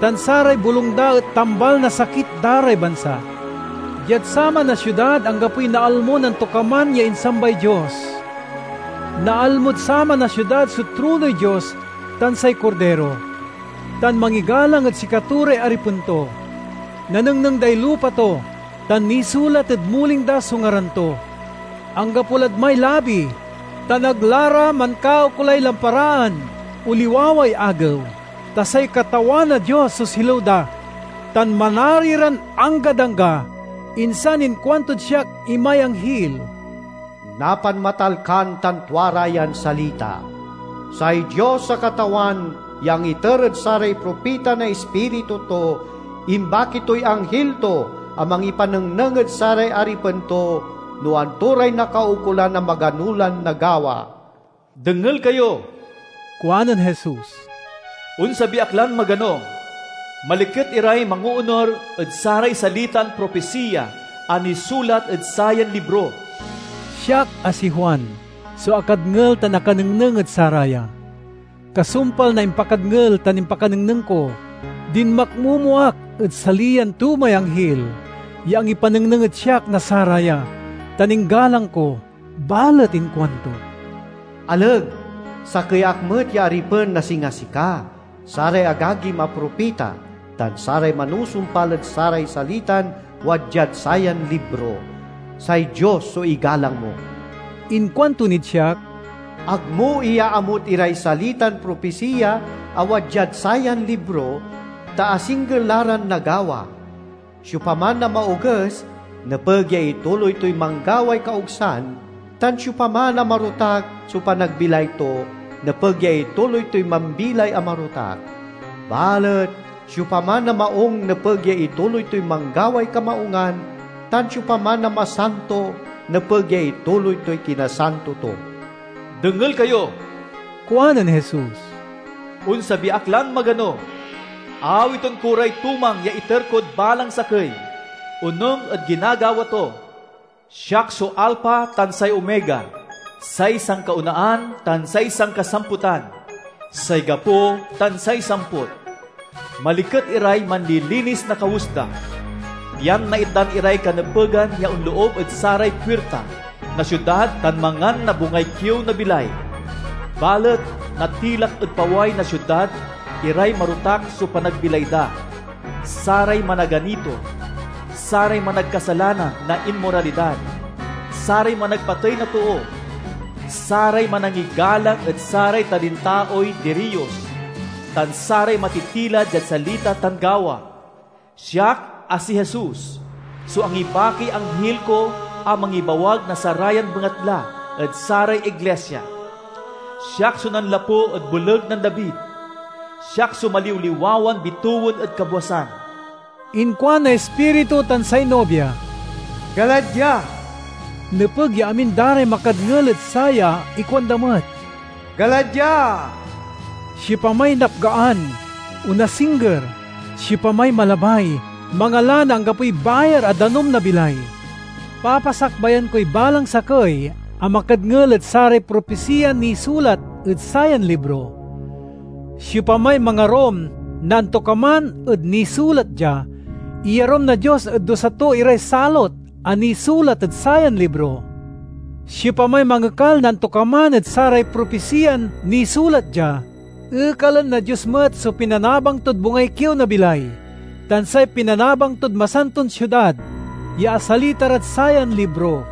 tan saray bulong da et tambal na sakit da ray bansa. Diad saman a siudad anggapoy naalmo na antokaman ya insambay Dios. Naalmod saman a siudad so tronoy Dios tan say Kordiro, tan mangigalang ed sikato ray aripen to. Nanengneng day lupa to, tan nisulat ed muling da so ngaran to. Anggapo lad may labi, tan ag la ra mankaukolay lamparaan o liwaway agew, ta say Katawan a Dios so silew da, tan manari ran anggad angga. Insan inkuantod siak imay anghil, napanmatalkan tan tua ra yan salita. Say Dios a Katawan ya angiter ed saray propita na Ispiritu to, imbaki toy anghil to a mangipanengneng ed saray aripen to no anto ray nakaukolan a magano lan nagawa. "Dengel kayo," kuanen Jesus. "Onsabi ak lan magano. Maliket iray mangoonur ed saray salitan propisiya a nisulat ed sayan libro." Siak a si Juan so akadngel tan akanengneng ed saraya. Kasumpal na impakadngel tan impakanengneng ko, dinmakmomo ak ed saliyan tumay anghil ya angipanengneng ed siak na saraya, tan inggalang ko. Balet inkuanto, "Aleg, sakey ak met ya aripen na singa sika, saray agagim a propita, tan saray manusumpal ed saray salitan wadiad sayan libro. Say Dios so igalang mo." Inkuanto nid siak, "Agmo iyaamut iray salitan propisiya a wadiad sayan libro, ta asingger la ran nagawa. Siopaman a maoges, nepeg ya ituloy toy manggaway kaogsan, tan siopaman a marotak so panagbilay to, nepeg ya ituloy toy mambilay a marotak. Balet siopaman a maung, nepeg ya ituloy toy manggaway kamaungan, tan siopaman a masanto, nepeg ya ituloy toy kinasanto to." "Dengel kayo," kuanen Jesus. "Onsabi ak lan magano. Awiten ko ray tumang ya iter kod balang sakey, onung ed ginagawa to. Siak so Alfa tan say Omega, say sankaonaan tan say sankasamputan, say gapo tan say samput. Maliket iray manlilinis na kawes da, pian naitdan iray kanepegan ya onloob ed saray puirta na siudad tan mangan na bungay kiew na bilay. Balet natilak ed paway na siudad iray marotak so panagbilay da, saray managanito, saray managkasalanan na inmoralidad, saray managpatey na too, saray manangigalang ed saray talintaoy diriyos, tan saray matitila diad salita tan gawa. Siak a si Jesus so angibakiy anghil ko a mangibawag na sarayan bengatla ed saray iglesia. Siak so nanlapu ed boleg nen David. Siak so maliwliwawan bitewen ed kabwasan." Inkuan na Ispiritu tan say nobia, "Gala dia!" Nepeg ya amin da ray makadngel ed saya, ikuanda met, "Gala dia!" Siopamay napgaan, onasingger, siopamay malabay, mangala na anggapoy bayar a danum na bilay. Papasakbayan koy balang sakey a makadngel ed saray propisiyan nisulat ed sayan libro. Siopamay mangarum na antokaman ed nisulat dia, iyarum na Dios ed dusa to iray salot a nisulat ed sayan libro. Siopamay mangekal na antokaman ed saray propisiyan nisulat dia, ekalen na Dios met so pinanabang tod bungay kiew na bilay, tan say pinanabang tod masanton siudad ya asalita rad sayan libro.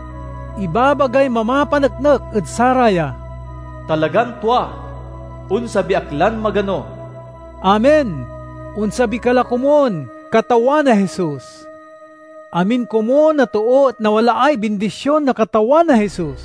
Ibabagay mamapaneknek ed saraya, "Talagan tua! Onsabi ak lan magano." Amen! Onsabi ka la komun, Katawan a Jesus! Amin komun a too et nawalaay bindision na Katawan a Jesus.